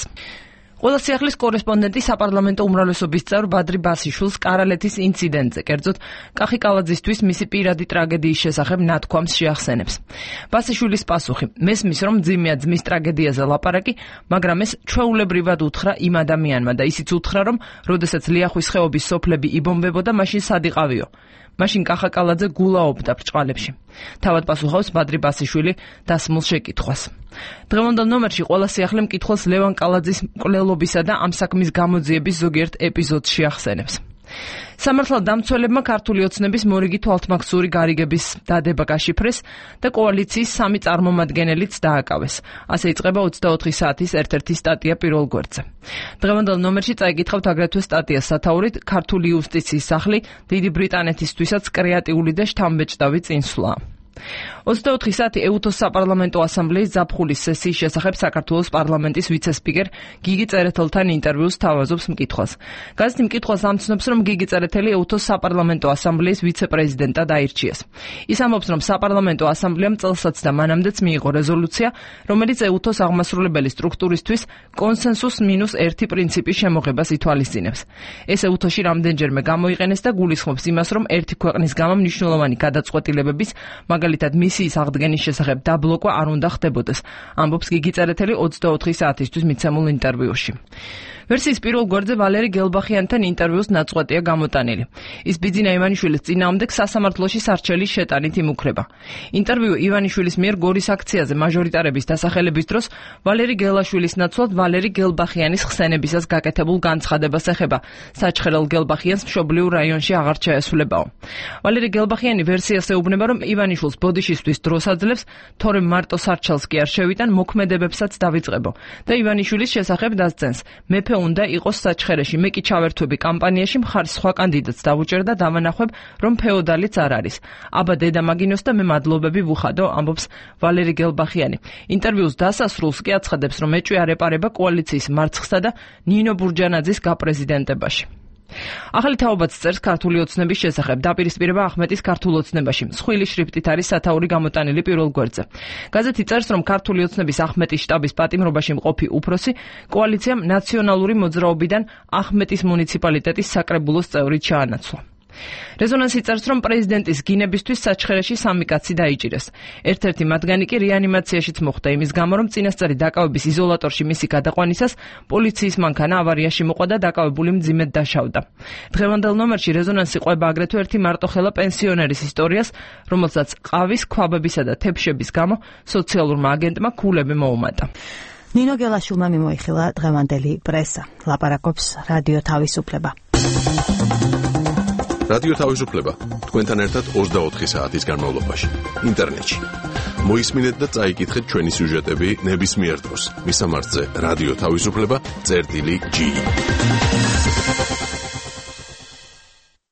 ყველა სიახლის კორესპონდენტი საპარლამენტო უმრავლესობის წევრ ბადრი ბასიშვილს კარალეთის ინციდენტზე, კერძოდ კახი კალაძისთვის მისი პირადი ტრაგედიის შესახებ ნათქვამს შეახსენებს. ბასიშვილის პასუხი: მესმის, რომ ძიმეა ძმის ტრაგედიაზე ლაპარაკი, მაგრამ ეს ჩვეულებრივად უთხრა იმ ადამიანმა და ისიც უთხრა, რომ როდესაც ლიახვის ხეობის სოფლები იბომბებოდა, მაშინ სად იყავიო? მაშინ კახა კალაძე გულაობდა ბრჭყალებში. თავად პასუხობს ბადრი ბასიშვილი დასმულ შეკითხვას. დღევანდელ ნომერში ყველა სიახლე მკითხველს ლევან კალაძის მკვლელობისა და ამ საქმის გამოძიების ზოგიერთ ეპიზოდს შეახსენებს. სამართალ დამცველებმა ქართული ოცნების მორიგი თვალთმაგსური გარიგების დადება გაშიფრეს და კოალიციის 3 წარმომადგენელიც დააკავეს. ასე იწყება 24 საათის ერთ-ერთი სტატია პირველ გვერდზე. დღევანდელ ნომერში წაიკითხავთ აგრეთვე სტატიას სათაურით ქართული იუსტიციის სახლი დიდი ბრიტანეთისთვისაც კრეატიული და შთამბეჭდავი წინსვლაა. 24 საათი ეუთოს საპარლამენტო ასამბლეის ზაფხულის სესიის შესახებ საქართველოს პარლამენტის ვიცე-სპიკერ გიგი წერეთელთან ინტერვიუს თავაზობს მკითხვას. გაზეთი მკითხვას ამცნობს, რომ გიგი წერეთელი ეუთოს საპარლამენტო ასამბლეის ვიცე-პრეზიდენტად აირჩიეს. ის ამბობს, რომ საპარლამენტო ასამბლეამ წელსაც და მანამდეც მიიღო რეზოლუცია, რომელიც ეუთოს აღმასრულებელი სტრუქტურისთვის კონსენსუს -1 პრინციპის შემოღებას ითვალისწინებს. ეს ეუთოში რამდენჯერმე გამოიყენეს და გულისხმობს იმას, რომ ერთი ქვეყნის გამო მნიშვნელოვანი გადაწყვეტილებების, მაგალითად მისიის აღდგენის შესახებ დაბლოკვა არ უნდა ხდებოდეს, ამბობს გიგი წერეთელი 24 საათისთვის მიცემულ ინტერვიუში. ვერსიის პირველ გვერდზე ვალერი გელბახიანთან ინტერვიუს ნაწყვეტია გამოტანილი. ის ბიძინა ივანიშვილის წინააღმდეგ სასამართლოში სარჩელის შეტანით იმუქრება. ინტერვიუ ივანიშვილის მიერ გორის აქციაზე მაჟორიტარების დასახელების დროს ვალერი გელაშვილის ნაცვლად ვალერი გელბახიანის ხსენებისას გაკეთებულ განცხადებას ეხება. საჩხერელ გელბახიანს მშობლიურ რაიონში აღარ ჩაესვლებაო. ვალერი გელბახიანი ვერსიას ეუბნება, რომ ივანიშვილს ბოდიშისთვის დროს აძლევს, თორემ მარტო სარჩელს კი არ შევიტან, მოქმედებებსაც დავიწყებო და ივანიშვილის შესახებ დასცენს. მეფე უნდა იყოს საჩხერეში, მე კი ჩავერთვები კამპანიაში, მხარს სხვა კანდიდატს დავუჭერ და დავანახვებ, რომ ფეოდალიც არ არის. აბა დედა მაგინოს და მე მადლობები ვუხადო, ამბობს ვალერი გელბახიანი. ინტერვიუს დასასრულს კი აცხადებს, რომ ეჭვი არ ეპარება კოალიციის მარცხსა და ნინო ბურჯანაძის გაპრეზიდენტებაში. ახალი თაობაც წერს ქართული ოცნების შესახებ. დაპირისპირება ახმეტის ქართულ ოცნებაში. მსხვილი შრიფტით არის სათაური გამოტანილი პირველ გვერდზე. გაზეთი წერს, რომ ქართული ოცნების ახმეტის შტაბის პატიმრობაში მყოფი უფროსი კოალიციამ ნაციონალური მოძრაობიდან ახმეტის მუნიციპალიტეტის საკრებულოს წევრი ჩაანაცვლა. რეზონანსი წერს, რომ პრეზიდენტის გინებისთვის საჩხერეში 3 კაცი დაიჭირეს. ერთ-ერთი მათგანი კი რეანიმაციაშიც მოხვდა იმის გამო, რომ წინასწარი დაკავების იზოლატორში მისი გადაყვანისას პოლიციის მანქანა ავარიაში მოყვა და დაკავებული მძიმედ დაშავდა. დღევანდელ ნომერში რეზონანსი ყვება აგრეთვე ერთი მარტოხელა პენსიონერის ისტორიას, რომელსაც ყავის, ქვაბებისა და თეფშების გამო სოციალურმა აგენტმა ქულები მოუმატა. ნინო გელაშვილმა მიმოიხილა დღევანდელი პრესა. ლაპარაკობს რადიო თავისუფლება. რადიო თავისუფლება თქვენთან ერთად 24 საათის განმავლობაში ინტერნეტში. მოისმინეთ და წაიკითხეთ ჩვენი სიუჟეტები ნებისმიერ დროს. მისამართზე რადიო თავისუფლება.g.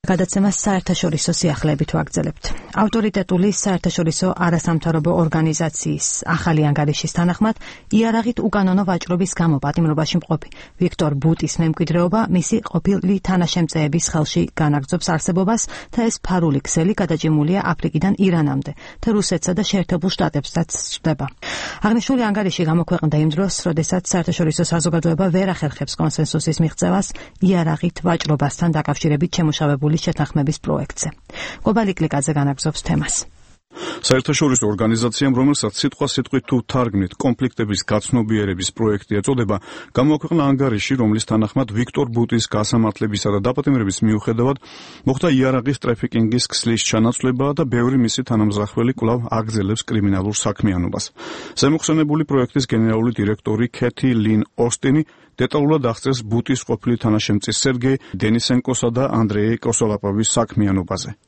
გადაცემას საერთაშორისო სიახლეებით ვაგრძელებთ. ავტორიტეტული საერთაშორისო არასამთავრობო ორგანიზაციის ახალი ანგარიშის თანახმად, იარაღით უკანონო ვაჭრობის გამო პატიმრობაში მყოფი ვიქტორ ბუტის მემკვიდრეობა მისი ყოფილი თანაშემწეების ხელში განაგრძობს არსებობას და ეს ფარული ქსელი გადაჭიმულია აფრიკიდან ირანამდე და რუსეთსა და შეერთებულ შტატებსაც სჭდება. აღნიშნული ანგარიში გამოქვეყნდა იმ დროს, როდესაც საერთაშორისო საზოგადოება ვერ ახერხებს კონსენსუსის მიღწევას იარაღით ვაჭრობასთან დაკავშირებით შემუშავებული შეთანხმების პროექტზე. გლობალი კლიკაზე განაგრძობს თემას. საერთაშორისო ორგანიზაციამ, რომელსაც სიტყვასიტყვით თუ თარგმნით კონფლიქტების გაცნობიერების პროექტი ეწოდება, გამოაქვეყნა ანგარიში, რომლის თანახმად ვიქტორ ბუტის გასამართლებისა და დაპატიმრების მიუხედავად მოხდა იარაღის ტრაფიკინგის ქსლის ჩანაცვლება და ბევრი მისი თანამზრახველი კვლავ აგრძელებს კრიმინალურ საქმიანობას. ზემოხსენებული პროექტის გენერალური დირექტორი ქეთი ლინ ოსტინი დეტალურად აღწერს ბუტის ყოფილი თანაშემწის სერგეი დენისენკოსა და ანდრეი კოსოლაპოვის საქმიანობაზე.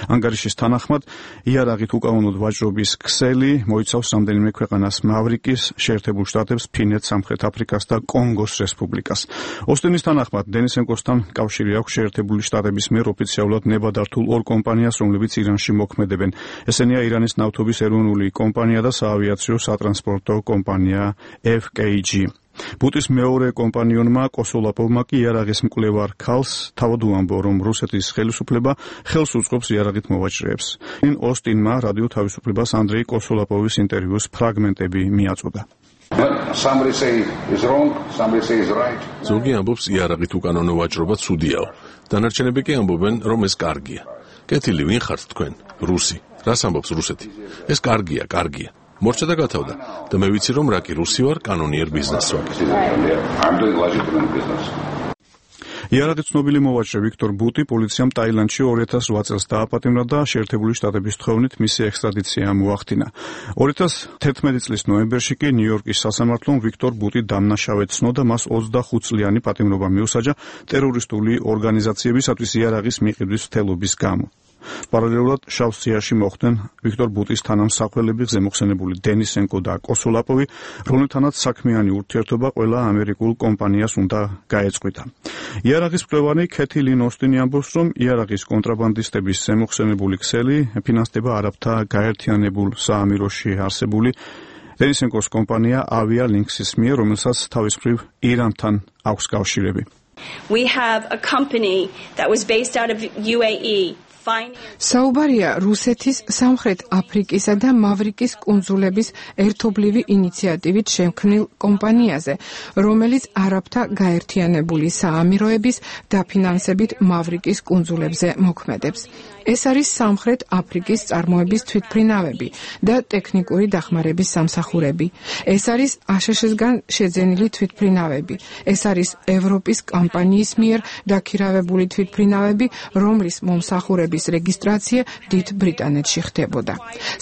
ანგარიშის თანახმად, იარაღით უკანონოდ ვაჭრობის ქსელი მოიცავს რამდენიმე ქვეყანას: მავრიკის, შეერთებულ შტატებს, ფინეთს, სამხრეთ აფრიკას და კონგოს რესპუბლიკას. ოსტინის თანახმად, დენისენკოსთან კავშირი აქვს შეერთებული შტატების მიერ ოფიციალურად ნებადართულ ორ კომპანიას, რომლებიც ირანში მოქმედებენ. ესენია ირანის ნავთობის ეროვნული კომპანია და საავიაციო სატრანსპორტო კომპანია FKG. ბუტის მეორე კომპანიონმა კოსოლაპოვმა კი იარაღის მკვლევარ ქალს თავად უამბო, რომ რუსეთის ხელისუფლება ხელს უწყობს იარაღით მოვაჭრეებს. ოსტინმა რადიო თავისუფლებას ანდრეი კოსოლაპოვის ინტერვიუს ფრაგმენტები მიაწოდა. ზოგი ამბობს, იარაღით უკანონო ვაჭრობა ცუდიაო. დანარჩენები კი ამბობენ, რომ ეს კარგია. კეთილი, ვინ ხართ თქვენ? რუსი. რას ამბობს რუსეთი? ეს კარგია, კარგია. მორჩა და გათავდა და მე ვიცი, რომ რა კი რუსი ვარ, კანონიერ ბიზნესს ვაკეთებ. იარაღით ცნობილი მოვაჭრე ვიქტორ ბუტი პოლიციამ ტაილანდში 2008 წელს დააპატიმრა და შეერთებული შტატების თხოვნით მისი ექსტრადიცია მოახდინა. 2011 წლის ნოემბერში კი ნიუ-იორკის სასამართლომ ვიქტორ ბუტი დამნაშავედ ცნო და მას 25 წლიანი პატიმრობა მიუსაჯა ტერორისტული ორგანიზაციებისათვის იარაღის მიყიდვის მცდელობის გამო. პარალელურად შავ სიაში მოხვდნენ ვიქტორ ბუტის თანამსახველები, ზემოხსენებული დენისენკო და კოსოლაპოვი, რომლითანაც საქმიანი ურთიერთობა ყველა ამერიკულ კომპანიას უნდა გაეწყვიტა. იარაღის მკვლევარი ქეთი ლინ ოსტინი ამბობს, რომ იარაღის კონტრაბანდისტების ზემოხსენებული ქსელი ფინანსდება არაბთა გაერთიანებულ საამიროში არსებული დენისენკოს კომპანია Avia Links-ის მიერ, რომელსაც თავის მხრივ ირანთან აქვს კავშირები. We have a company that was based out of UAE. საუბარია რუსეთის, სამხრეთ აფრიკისა და მავრიკის კუნძულების ერთობლივი ინიციატივით შემქმნილ კომპანიაზე, რომელიც არაბთა გაერთიანებული საამიროების დაფინანსებით მავრიკის კუნძულებზე მოქმედებს. ეს არის სამხრეთ აფრიკის წარმოების თვითმფრინავები და ტექნიკური დახმარების სამსახურები. ეს არის აშშ-სგან შეძენილი თვითმფრინავები. ეს არის ევროპის კომპანიის მიერ დაქირავებული თვითმფრინავები, რომლის მომსახურების რეგისტრაცია დიდ ბრიტანეთში ხდებოდა.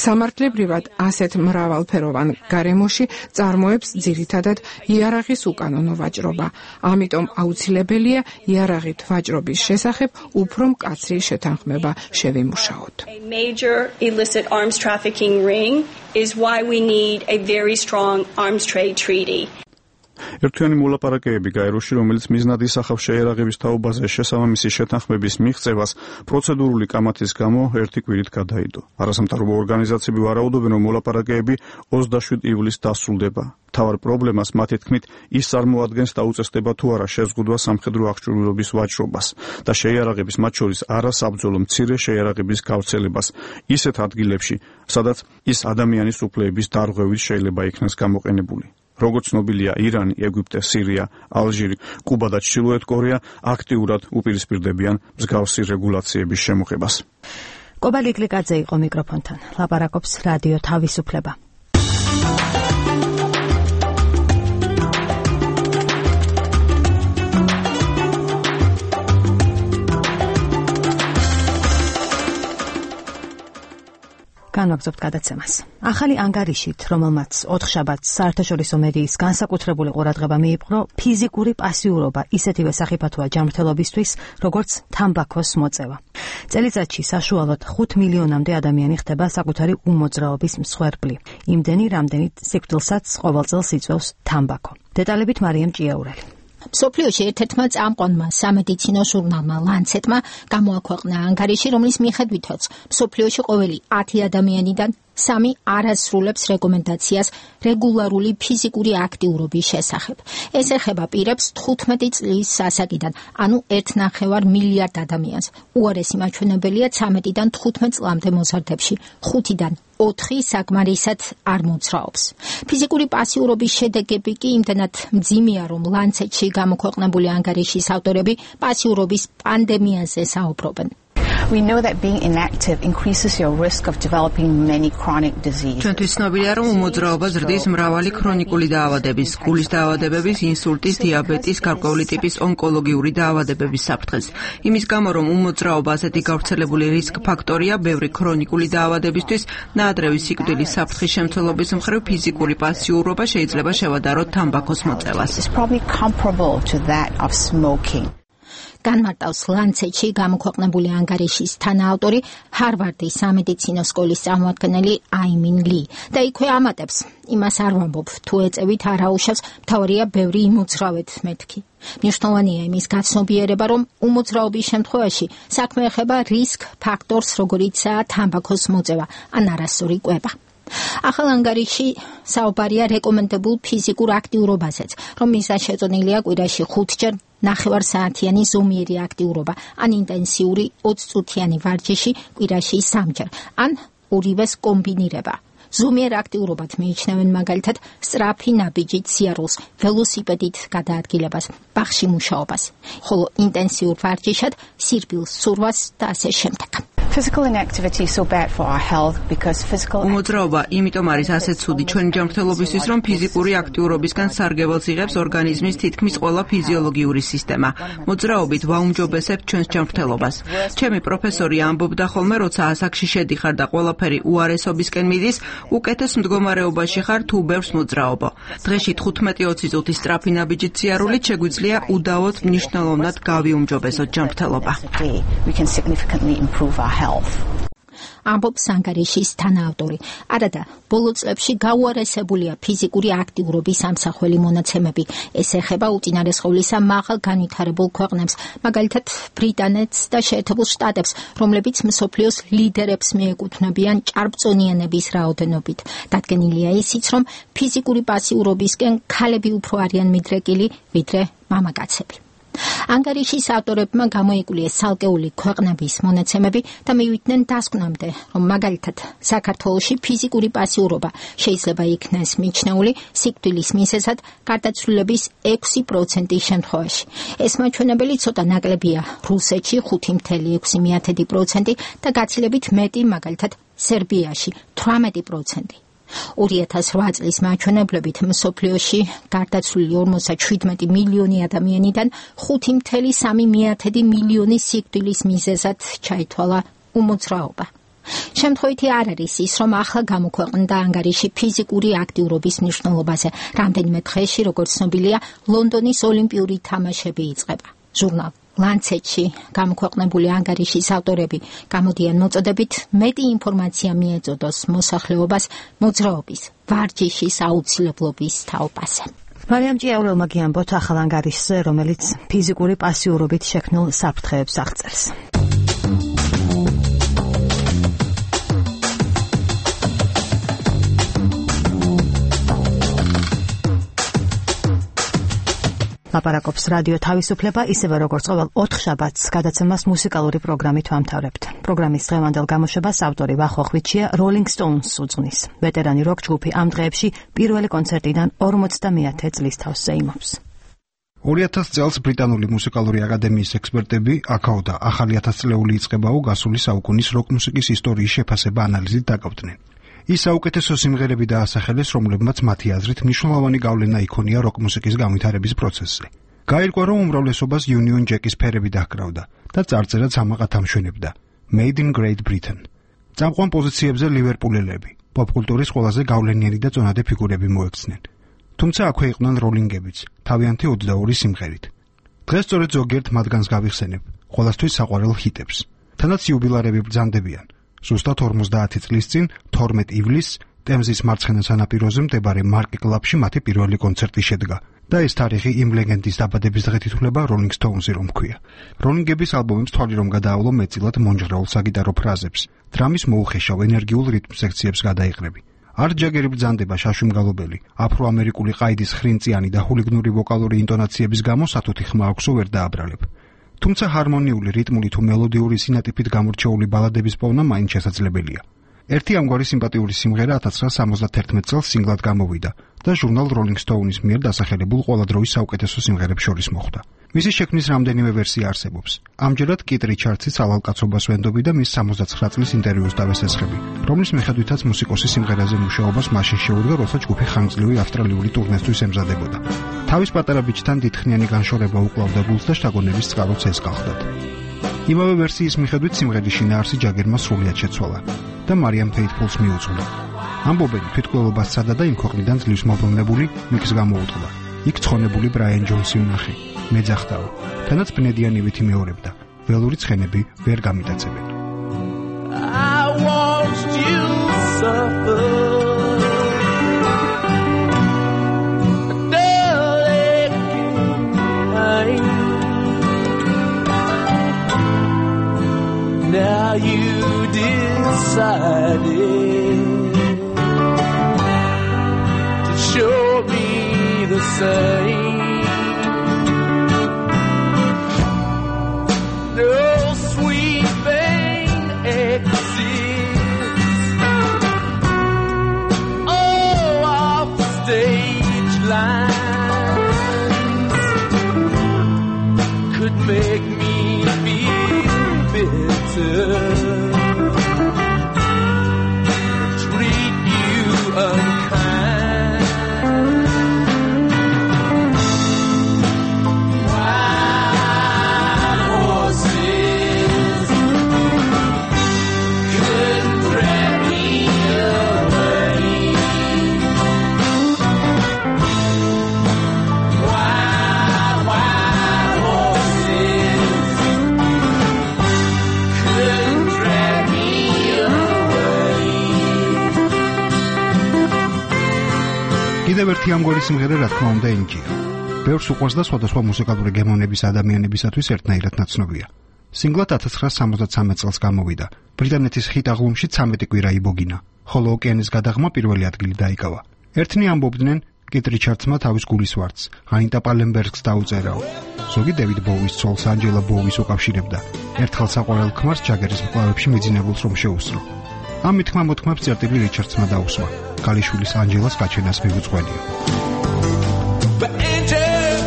სამართლებრივად ასეთ მრავალფეროვან გარემოში წარმოებს ძირითადად იარაღის უკანონო ვაჭრობა. ამიტომ აუცილებელია იარაღით ვაჭრობის შესახებ უფრო მკაცრი შეთანხმება შევიმუშაოთ. A major illicit arms trafficking ring is why we need a very strong arms trade treaty. ერთიანი მოლაპარაკებები გაეროში, რომელიც მიზნად ისახავს შეიარაღების თაობაზე შესაბამისი შეთანხმების მიღწევას, პროცედურული კამათის გამო ერთი კვირით გადაიდო. არასამთავრობო ორგანიზაციები ვარაუდობენ, რომ მოლაპარაკებები 27 ივლისს დასრულდება. მთავარ პრობლემას მათი თქმით ის წარმოადგენს და უწესდება თუ არა შეზღუდვა სამხედრო აღჭურვილობის ვაჭრობას და შეიარაღების, მათ შორის არასაბრძოლო მცირე შეიარაღების გავრცელებას ისეთ ადგილებში, სადაც ის ადამიანის უფლებების დარღვევით შეიძლება იქნას გამოყენებული. როგორც ცნობილია, ირანი, ეგვიპტე, სირია, ალჟირი, კუბა და ჩრდილოეთ კორეა აქტიურად უპირისპირდებიან მსგავსი რეგულაციების შემოღებას. კობალ იკლიკაძე იყო მიკროფონთან. ლაპარაკობს რადიო თავისუფლება. განვაგრძობთ გადაცემას. ახალი ანგარიშით, რომელმაც 4 შაბათს საერთაშორისო მედიის განსაკუთრებული ყურადღება მიიპყრო, ფიზიკური პასიურობა ისეთივე სახიფათოა ჯანმრთელობისთვის, როგორც თამბაქოს მოწევა. წელიწადში საშუალოდ 5 მილიონამდე ადამიანი ხდება საკუთარი უმოძრაობის მსხვერპლი. იმდენი, რამდენით სიკვდილსაც ყოველწელს იწვევს თამბაქო. დეტალებით მარიამ ჭიაურელი. მსოფლიოში ერთ-ერთმა წამყვანმა სამედიცინო ჟურნალმა ლანცეტმა გამოაქვეყნა ანგარიში, რომლის მიხედვითაც მსოფლიოში ყოველი 10 ადამიანიდან 3 არასრულებს რეკომენდაციას რეგულარული ფიზიკური აქტიურობის შესახებ. ეს ეხება პირებს 15 წლის ასაკიდან, ანუ 1,9 მილიარდ ადამიანს. უარესი მაჩვენებელია 13-დან 15 წლამდე მოზარდებში, 5-დან 4 საკმარისად არ მოძრაობს. ფიზიკური პასიურობის შედეგები კი იმდენად მძიმეა, რომ ლანცეტში გამოქვეყნებული ანგარიშის ავტორები პასიურობის პანდემიაზე საუბრობენ. We know that being inactive increases your risk of developing many chronic diseases. ჩვენთვის ცნობილია, რომ უმოძრაობა ზრდის მრავალი ქრონიკული დაავადების, გულის დაავადებების, ინსულტის, დიაბეტის, გარკვეული ტიპის ონკოლოგიური დაავადებების საფრთხეს. იმის გამო, რომ უმოძრაობა ასეთი გავრცელებული რისკ ფაქტორია ბევრი ქრონიკული დაავადებისთვის, ნაადრევი სიკვდილის საფრთხის შემცველობის მხრივ ფიზიკური პასიურობა შეიძლება შევადაროთ თამბაქოს მოწევას. It's probably comparable to that of smoking. განმარტავს ლანცეტში გამოქვეყნებული ანგარიშის თანაავტორი, ჰარვარდის სამედიცინო სკოლის წარმომადგენელი აიმინ ლი. და იქვე ამატებს, იმას არ ვამბობ, თუ ეწევით არ აუშავს, მთავარია ბევრი იმოძრავეთ მეთქი. მნიშვნელოვანია იმის გაცნობიერება, რომ უმოძრაობის შემთხვევაში საქმე ეხება რისკ ფაქტორს, როგორიცაა თამბაქოს მოწევა ან არასწორი კვება. ახალ ანგარიში საუბარია რეკომენდებულ ფიზიკურ აქტიურობაზეც, რომელსაც შეწონილია კვირაში 5 ჯერ 9 საათიანი ზომიერი აქტიურობა, ან ინტენსიური 20 წუთიანი ვარჯიში კვირაში 3 ჯერ, ან ორივეს კომბინირება. ზომიერ აქტიურობად მიიჩნევენ მაგალითად სწრაფი ნაბიჯით სიარულს, ველოსიპედით გადაადგილებას, ბაღში მუშაობას, ხოლო ინტენსიურ ვარჯიშად სირბილს, ცურვას და ასე შემდეგ. Physical inactivity is so bad for our health because physical უმოძრაობა იმიტომ არის ასე ცუდი ჩვენი ჯანმრთელობისთვის, რომ ფიზიკური აქტიურობისგან სარგებელს იღებს ორგანიზმის თითქმის ყველა ფიზიოლოგიური სისტემა. მოძრაობით ვაუმჯობესებთ ჩვენს ჯანმრთელობას. ჩემი პროფესორი ამბობდა ხოლმე, როცა ასაკში შედიხარ და ყველაფერი უარესობისკენ მიდის, უკეთეს მდგომარეობაში ხარ თუ ბევრს მოძრაობ. დღეში 15-20 წუთის სწრაფი ნაბიჯით სიარულით შეგვიძლია უდავოდ მნიშვნელოვნად გავიუმჯობესოთ ჯანმრთელობა. ამბობს ანგარიშის თანაავტორი. არადა, ბოლო წლებში გაუარესებულია ფიზიკური აქტიურობის ამსახველი მონაცემები. ეს ეხება უწინარესხოვლისა მაღალ განვითარებულ ქვეყნებს, მაგალითად ბრიტანეთს და შეერთებულ შტატებს, რომლებიც მსოფლიოს ლიდერებს მიეკუთვნებიან ჭარბწონიანების რაოდენობით. დადგენილია ისიც, რომ ფიზიკური პასიურობისკენ ქალები უფრო არიან მიდრეკილი, ვიდრე მამაკაცები. ანგარიშის ავტორებმა გამოიკულიეს ცალკეული ქვეყნების მონაცემები და მივიდნენ დასკვნამდე, რომ მაგალითად საქართველოში ფიზიკური პასიურობა შეიძლება იქნეს მიჩნეული სიკვდილის მიზეზად გარდაცვლილების 6% შემთხვევაში. ეს მაჩვენებელი ცოტა ნაკლებია რუსეთში 5.6% და გაცილებით მეტი მაგალითად სერბიაში 18%. 2008 წლის მაჩვენებლებით მსოფლიოში გარდაცვლილი 57 მილიონი ადამიანიდან 5.3 მილიონი სიკვდილის მიზეზად ჩაითვალა უმოძრაობა. შემთხვევითი არ არის ის, რომ ახლა გამოქვეყნდა ანგარიში ფიზიკური აქტიურობის მნიშვნელობაზე. რამდენიმე დღეში, როგორც ცნობილია, ლონდონის ოლიმპიური თამაშები იწყება. ჟურნალ ლანცეტში გამოქვეყნებული ანგარიშის ავტორები გამოდიან მოწოდებით მეტი ინფორმაცია მიეწოდოს მოსახლეობას მოძრაობის, ვარჯიშის აუცილებლობის თაობაზე. მარიამ ჭიაურელმა გიამბოთ ახალ ანგარიშზე, რომელიც ფიზიკური პასიურობით შექმნილ საფრთხეებს აღწერს. ლაპარაკობს რადიო თავისუფლება, ისევე როგორც ყოველ 4 შაბათს გადაცემას მუსიკალური პროგრამით ვამთავრებთ. პროგრამის დღევანდელ გამოშვებას ავტორი ვახოხვიჩია Rolling Stones უძღვნის. ვეტერანი როკ ჯგუფი ამ დღეებში პირველი კონცერტიდან 50-მეათე წლის თავს ზეიმობს. 2000 წელს ბრიტანული მუსიკალური აკადემიის ექსპერტები აქაოდა ახალი 1000-წლეული იწყებაო გასული საუკუნის როკ მუსიკის ისტორიის შეფასება ანალიზით დაკავდნენ. ის საუკეთესო სიმღერები დაასახელეს, რომლებმაც მათი აზრით მნიშვნელოვანი გავლენა იქონია როკ მუსიკის განვითარების პროცესზე. გაირკვა, რომ უმრავლესობას Union Jack-ის ფერები დაჰკრავდა და წარწერაც ამაყად ამშვენებდა Made in Great Britain. წამყვან პოზიციებზე ლივერპულელები, პოპკულტურის ყველაზე გავლენიანი და წონადე ფიგურები მოექცნენ. თუმცა აქვე იყვნენ როლინგებიც, თავიანთი 22 სიმღერით. დღეს სწორედ ზოგიერთ მათგანს გავიხსენებ, ყველასთვის საყვარელ ჰიტებს. თანაც იუბილარები ბრძანდებიან. ზუსტად 50 წლის წინ 12 ივლისს ტემზის მარცხენა სანაპიროზე მდებარე მარკ კლაბში მათი პირველი კონცერტი შედგა და ეს თარიღი იმ ლეგენდის დაბადების დღით ითვლება Rolling Stones-ი რომ ქვია. როლინგების ალბომებს თვალი რომ გადაავლო მეტწილად მონჟღრეულ საგიტარო ფრაზებს, დრამის მოუხეშავ ენერგიულ რიტმ სექციებს გადაიღრები. არტ ჯაგერი ბრძანდება შაშვიმგალობელი, აფრო-ამერიკული ყაიდის ხრინწიანი და ჰულიგნური ვოკალური ინტონაციების გამო სათუთი ხმა აქვსო ვერ დააბრალებ. თუმცა ჰარმონიული, რიტმული თუ მელოდიური სინატიფით გამორჩეული ბალადების პოვნა მაინც შესაძლებელია. ერთი ამგვარი სიმპათიური სიმღერა 1971 წელს სინგლად გამოვიდა და ჟურნალ Rolling Stone-ის მიერ დასახელებულ ყველა დროის საუკეთესო სიმღერებს შორის მოხვდა. მისი შექმნის რამდენიმე ვერსია არსებობს. ამჯერად კით რიჩარდსი ძალალკაცობას ვენდობი და მის 69 წლის ინტერვიუს დავესესხები, რომლის მიხედვითაც მუსიკოსი სიმღერაზე მუშაობას მაშინ შეუდგა, როცა ჯგუფი ხანგრძლივი ავსტრალიური ტურნესთვის ემზადებოდა. თავის პატარა ბიჭთან დიდხნიანი განშორება უკლავდა გულს და შთაგონების წყაროც ესკახდათ. იმავე ვერსიის მიხედვით სიმღერის შინაარსი ჯაგერმა სრულიად შეცვალა და მარიამ ფეითფულს მიუძღვნა. ამბობენ, თვითმკვლელობას სცადა და იმ ქვეყნიდან ძლივს მობრუნებული მიკს გამოუწყდა. იქ ცხონებული ბრაიან ჯონსი უნახე. მეძახდაო. თანაც ბნედიანივით იმეორებდა. ველური ცხენები ვერ გამიტაცებენ. I watched you suffer. Now you decided to show me the same. No sweet thing exists. Oh, off the stage lines could make me feel bitter. Treat you unkind. Wild horses couldn't drag me away. Wild horses couldn't drag me away. კიდევ ერთი ამგვარი სიმღერა რა თქმა უნდა ენჯია. ბევრს უყვარს და სხვადასხვა მუსიკალური გემოვნების ადამიანებისათვის ერთნაირად ნაცნობია. სინგლად 1973 წელს გამოვიდა. ბრიტანეთის ჰიტ აღლუმში 13 კვირა იბოგინა, ხოლო ოკეანის გადაღმა პირველი ადგილი დაიკავა. ერთნი ამბობდნენ, კით რიჩარდსმა თავის გულის ვარდს, ანიტა პალენბერგს დაუწერაო. ზოგი დევიდ ბოუის ცოლს ანჯელა ბოუის უკავშირებდა. ერთხელ საყვარელ ქმარს ჯაგერის მკლავებში მიძინებულს რომ შეუსწრო. ამ მითქმა მოთქმებს წერტილი რიჩარდსმა დაუსვა. კალიშვილის ანჯელას გაჩენას მიუძღვენია. But Angel,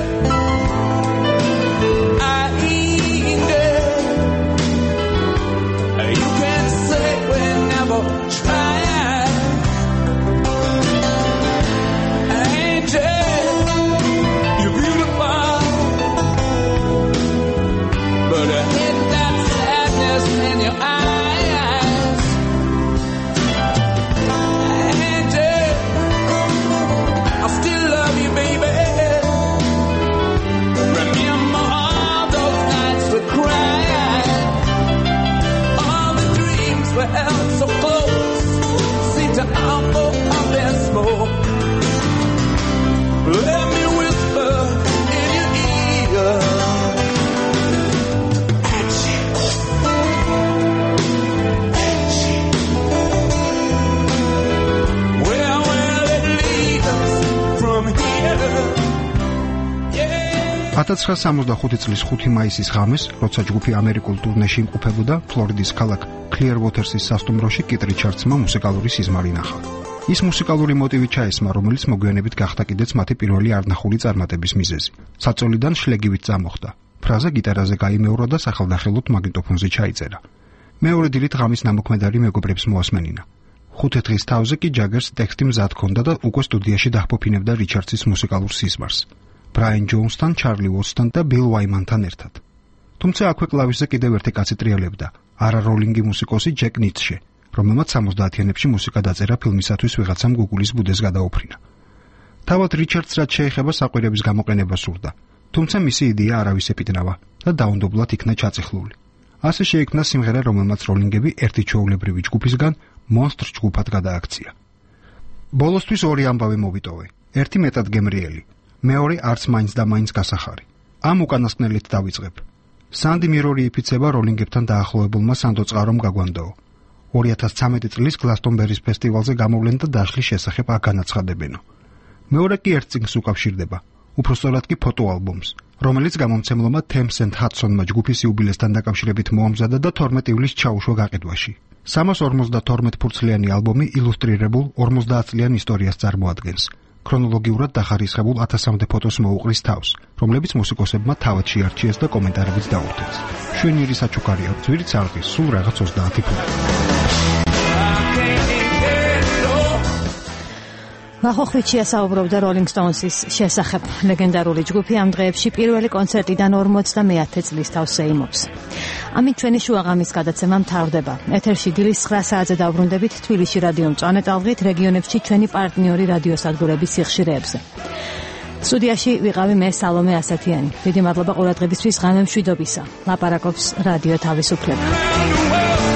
I ain't dead. You can say we never tried. Angel, you're beautiful, but I hate that sadness in your eyes. Angel, I still love you, baby. Remember all those nights we cried, all the dreams we held so close, seem to all up in smoke. Let me whisper in your ear. Angie, Angie, where will it lead us from here? 1965 წლის 5 მაისის ღამეს, როცა ჯგუფი ამერიკულ ტურნეში იმყოფებოდა, ფლორიდის ქალაქ კლიერვოთერსის სასტუმროში კით რიჩარდსმა მუსიკალური სიზმარი ნახა. ის მუსიკალური მოტივი ჩაესმა, რომელიც მოგვიანებით გახდა კიდეც მათი პირველი არნახული წარმატების მიზეზი. საწოლიდან შლეგივით წამოხდა. ფრაზა გიტარაზე გაიმეორა და სახელდახელოდ მაგნიტოფონზე ჩაიწერა. მეორე დილით ღამის ნამოქმედარი მეგობრებს მოასმენინა. 5 დღის თავზე კი ჯაგერს ტექსტი მზად ჰქონდა და უკვე სტუდიაში დაჰფოფინებდა რიჩარდსის მუსიკალურ სიზმარს. ბრაიან ჯოუნსთან, ჩარლი ვოტსთან და ბილ ვაიმანთან ერთად. თუმცა აქვე კლავიშზე კიდევ ერთი კაცი ტრიალებდა, არა როლინგი მუსიკოსი ჯეკ ნიცშე, რომელმაც 70-იანებში მუსიკა დაწერა ფილმისათვის ვიღაცამ გუგულის ბუდეს გადაუფრინა. თავად რიჩარდს რაც შეეხება საყვირების გამოყენება სურდა, თუმცა მისი იდეა არავის ეპიტნავა და დაუნდობლად იქნა ჩაწიხლული. ასე შეიქმნა სიმღერა, რომელმაც როლინგები ერთი ჩვეულებრივი ჯგუფისგან მონსტრ ჯგუფად გადააქცია. ბოლოსთვის ორი ამბავი მოვიტოვე, ერთი მეტად გემრიელი, მეორე არც მაინც და მაინც გასახარი. ამ უკანასკნელით დავიწყებ. სანდი მირორი იფიცება როლინგებთან დაახლოებულმა სანდო წყარომ გაგვანდაო. 2013 წლის გლასტონბერის ფესტივალზე გამოვლენ და დაშლის შესახებ აგანაცხადებენო. მეორე კი ერთ წიგნს უკავშირდება, უпростоრად კი ფოტოალბომს, რომელიც გამომცემლობა Thames and Hudsonმა ჯგუფის იუბილესთან დაკავშირებით მოამზადა და 12 ივლისს ჩაუშვა გაყიდვაში. 352 ფურცლიანი ალბომი ილუსტრირებულ 50 წლიან ისტორიას წარმოადგენს. ქრონოლოგიურად დახარისხებულ 1000-მდე ფოტოს მოუყრის თავს, რომლებიც მუსიკოსებმა თავად შეარჩიეს და კომენტარებიც დაურთეს. შვენიერი საჩუქარი აქვს, ვირიც ალყის, სულ რაღაც 30 ფუტი. ვახოხვიჩია საუბრობდა Rolling Stones-ის შესახებ. ლეგენდარული ჯგუფი ამ დღეებში პირველი კონცერტიდან 50-მე წლის თავს ეიმობს. ამით ჩვენი შუაღამის გადაცემა მთავრდება. ეთერში დილის 9 საათზე დავბრუნდებით თბილისში რადიო მწვანე ტალღით რეგიონებში ჩვენი პარტნიორი რადიოსადგურების სიხშირეებზე. სტუდიაში ვიყავი მე სალომე ასათიანი. დიდი მადლობა ყურადღებისთვის. ღამე მშვიდობისა. ლაპარაკობს რადიო თავისუფლება.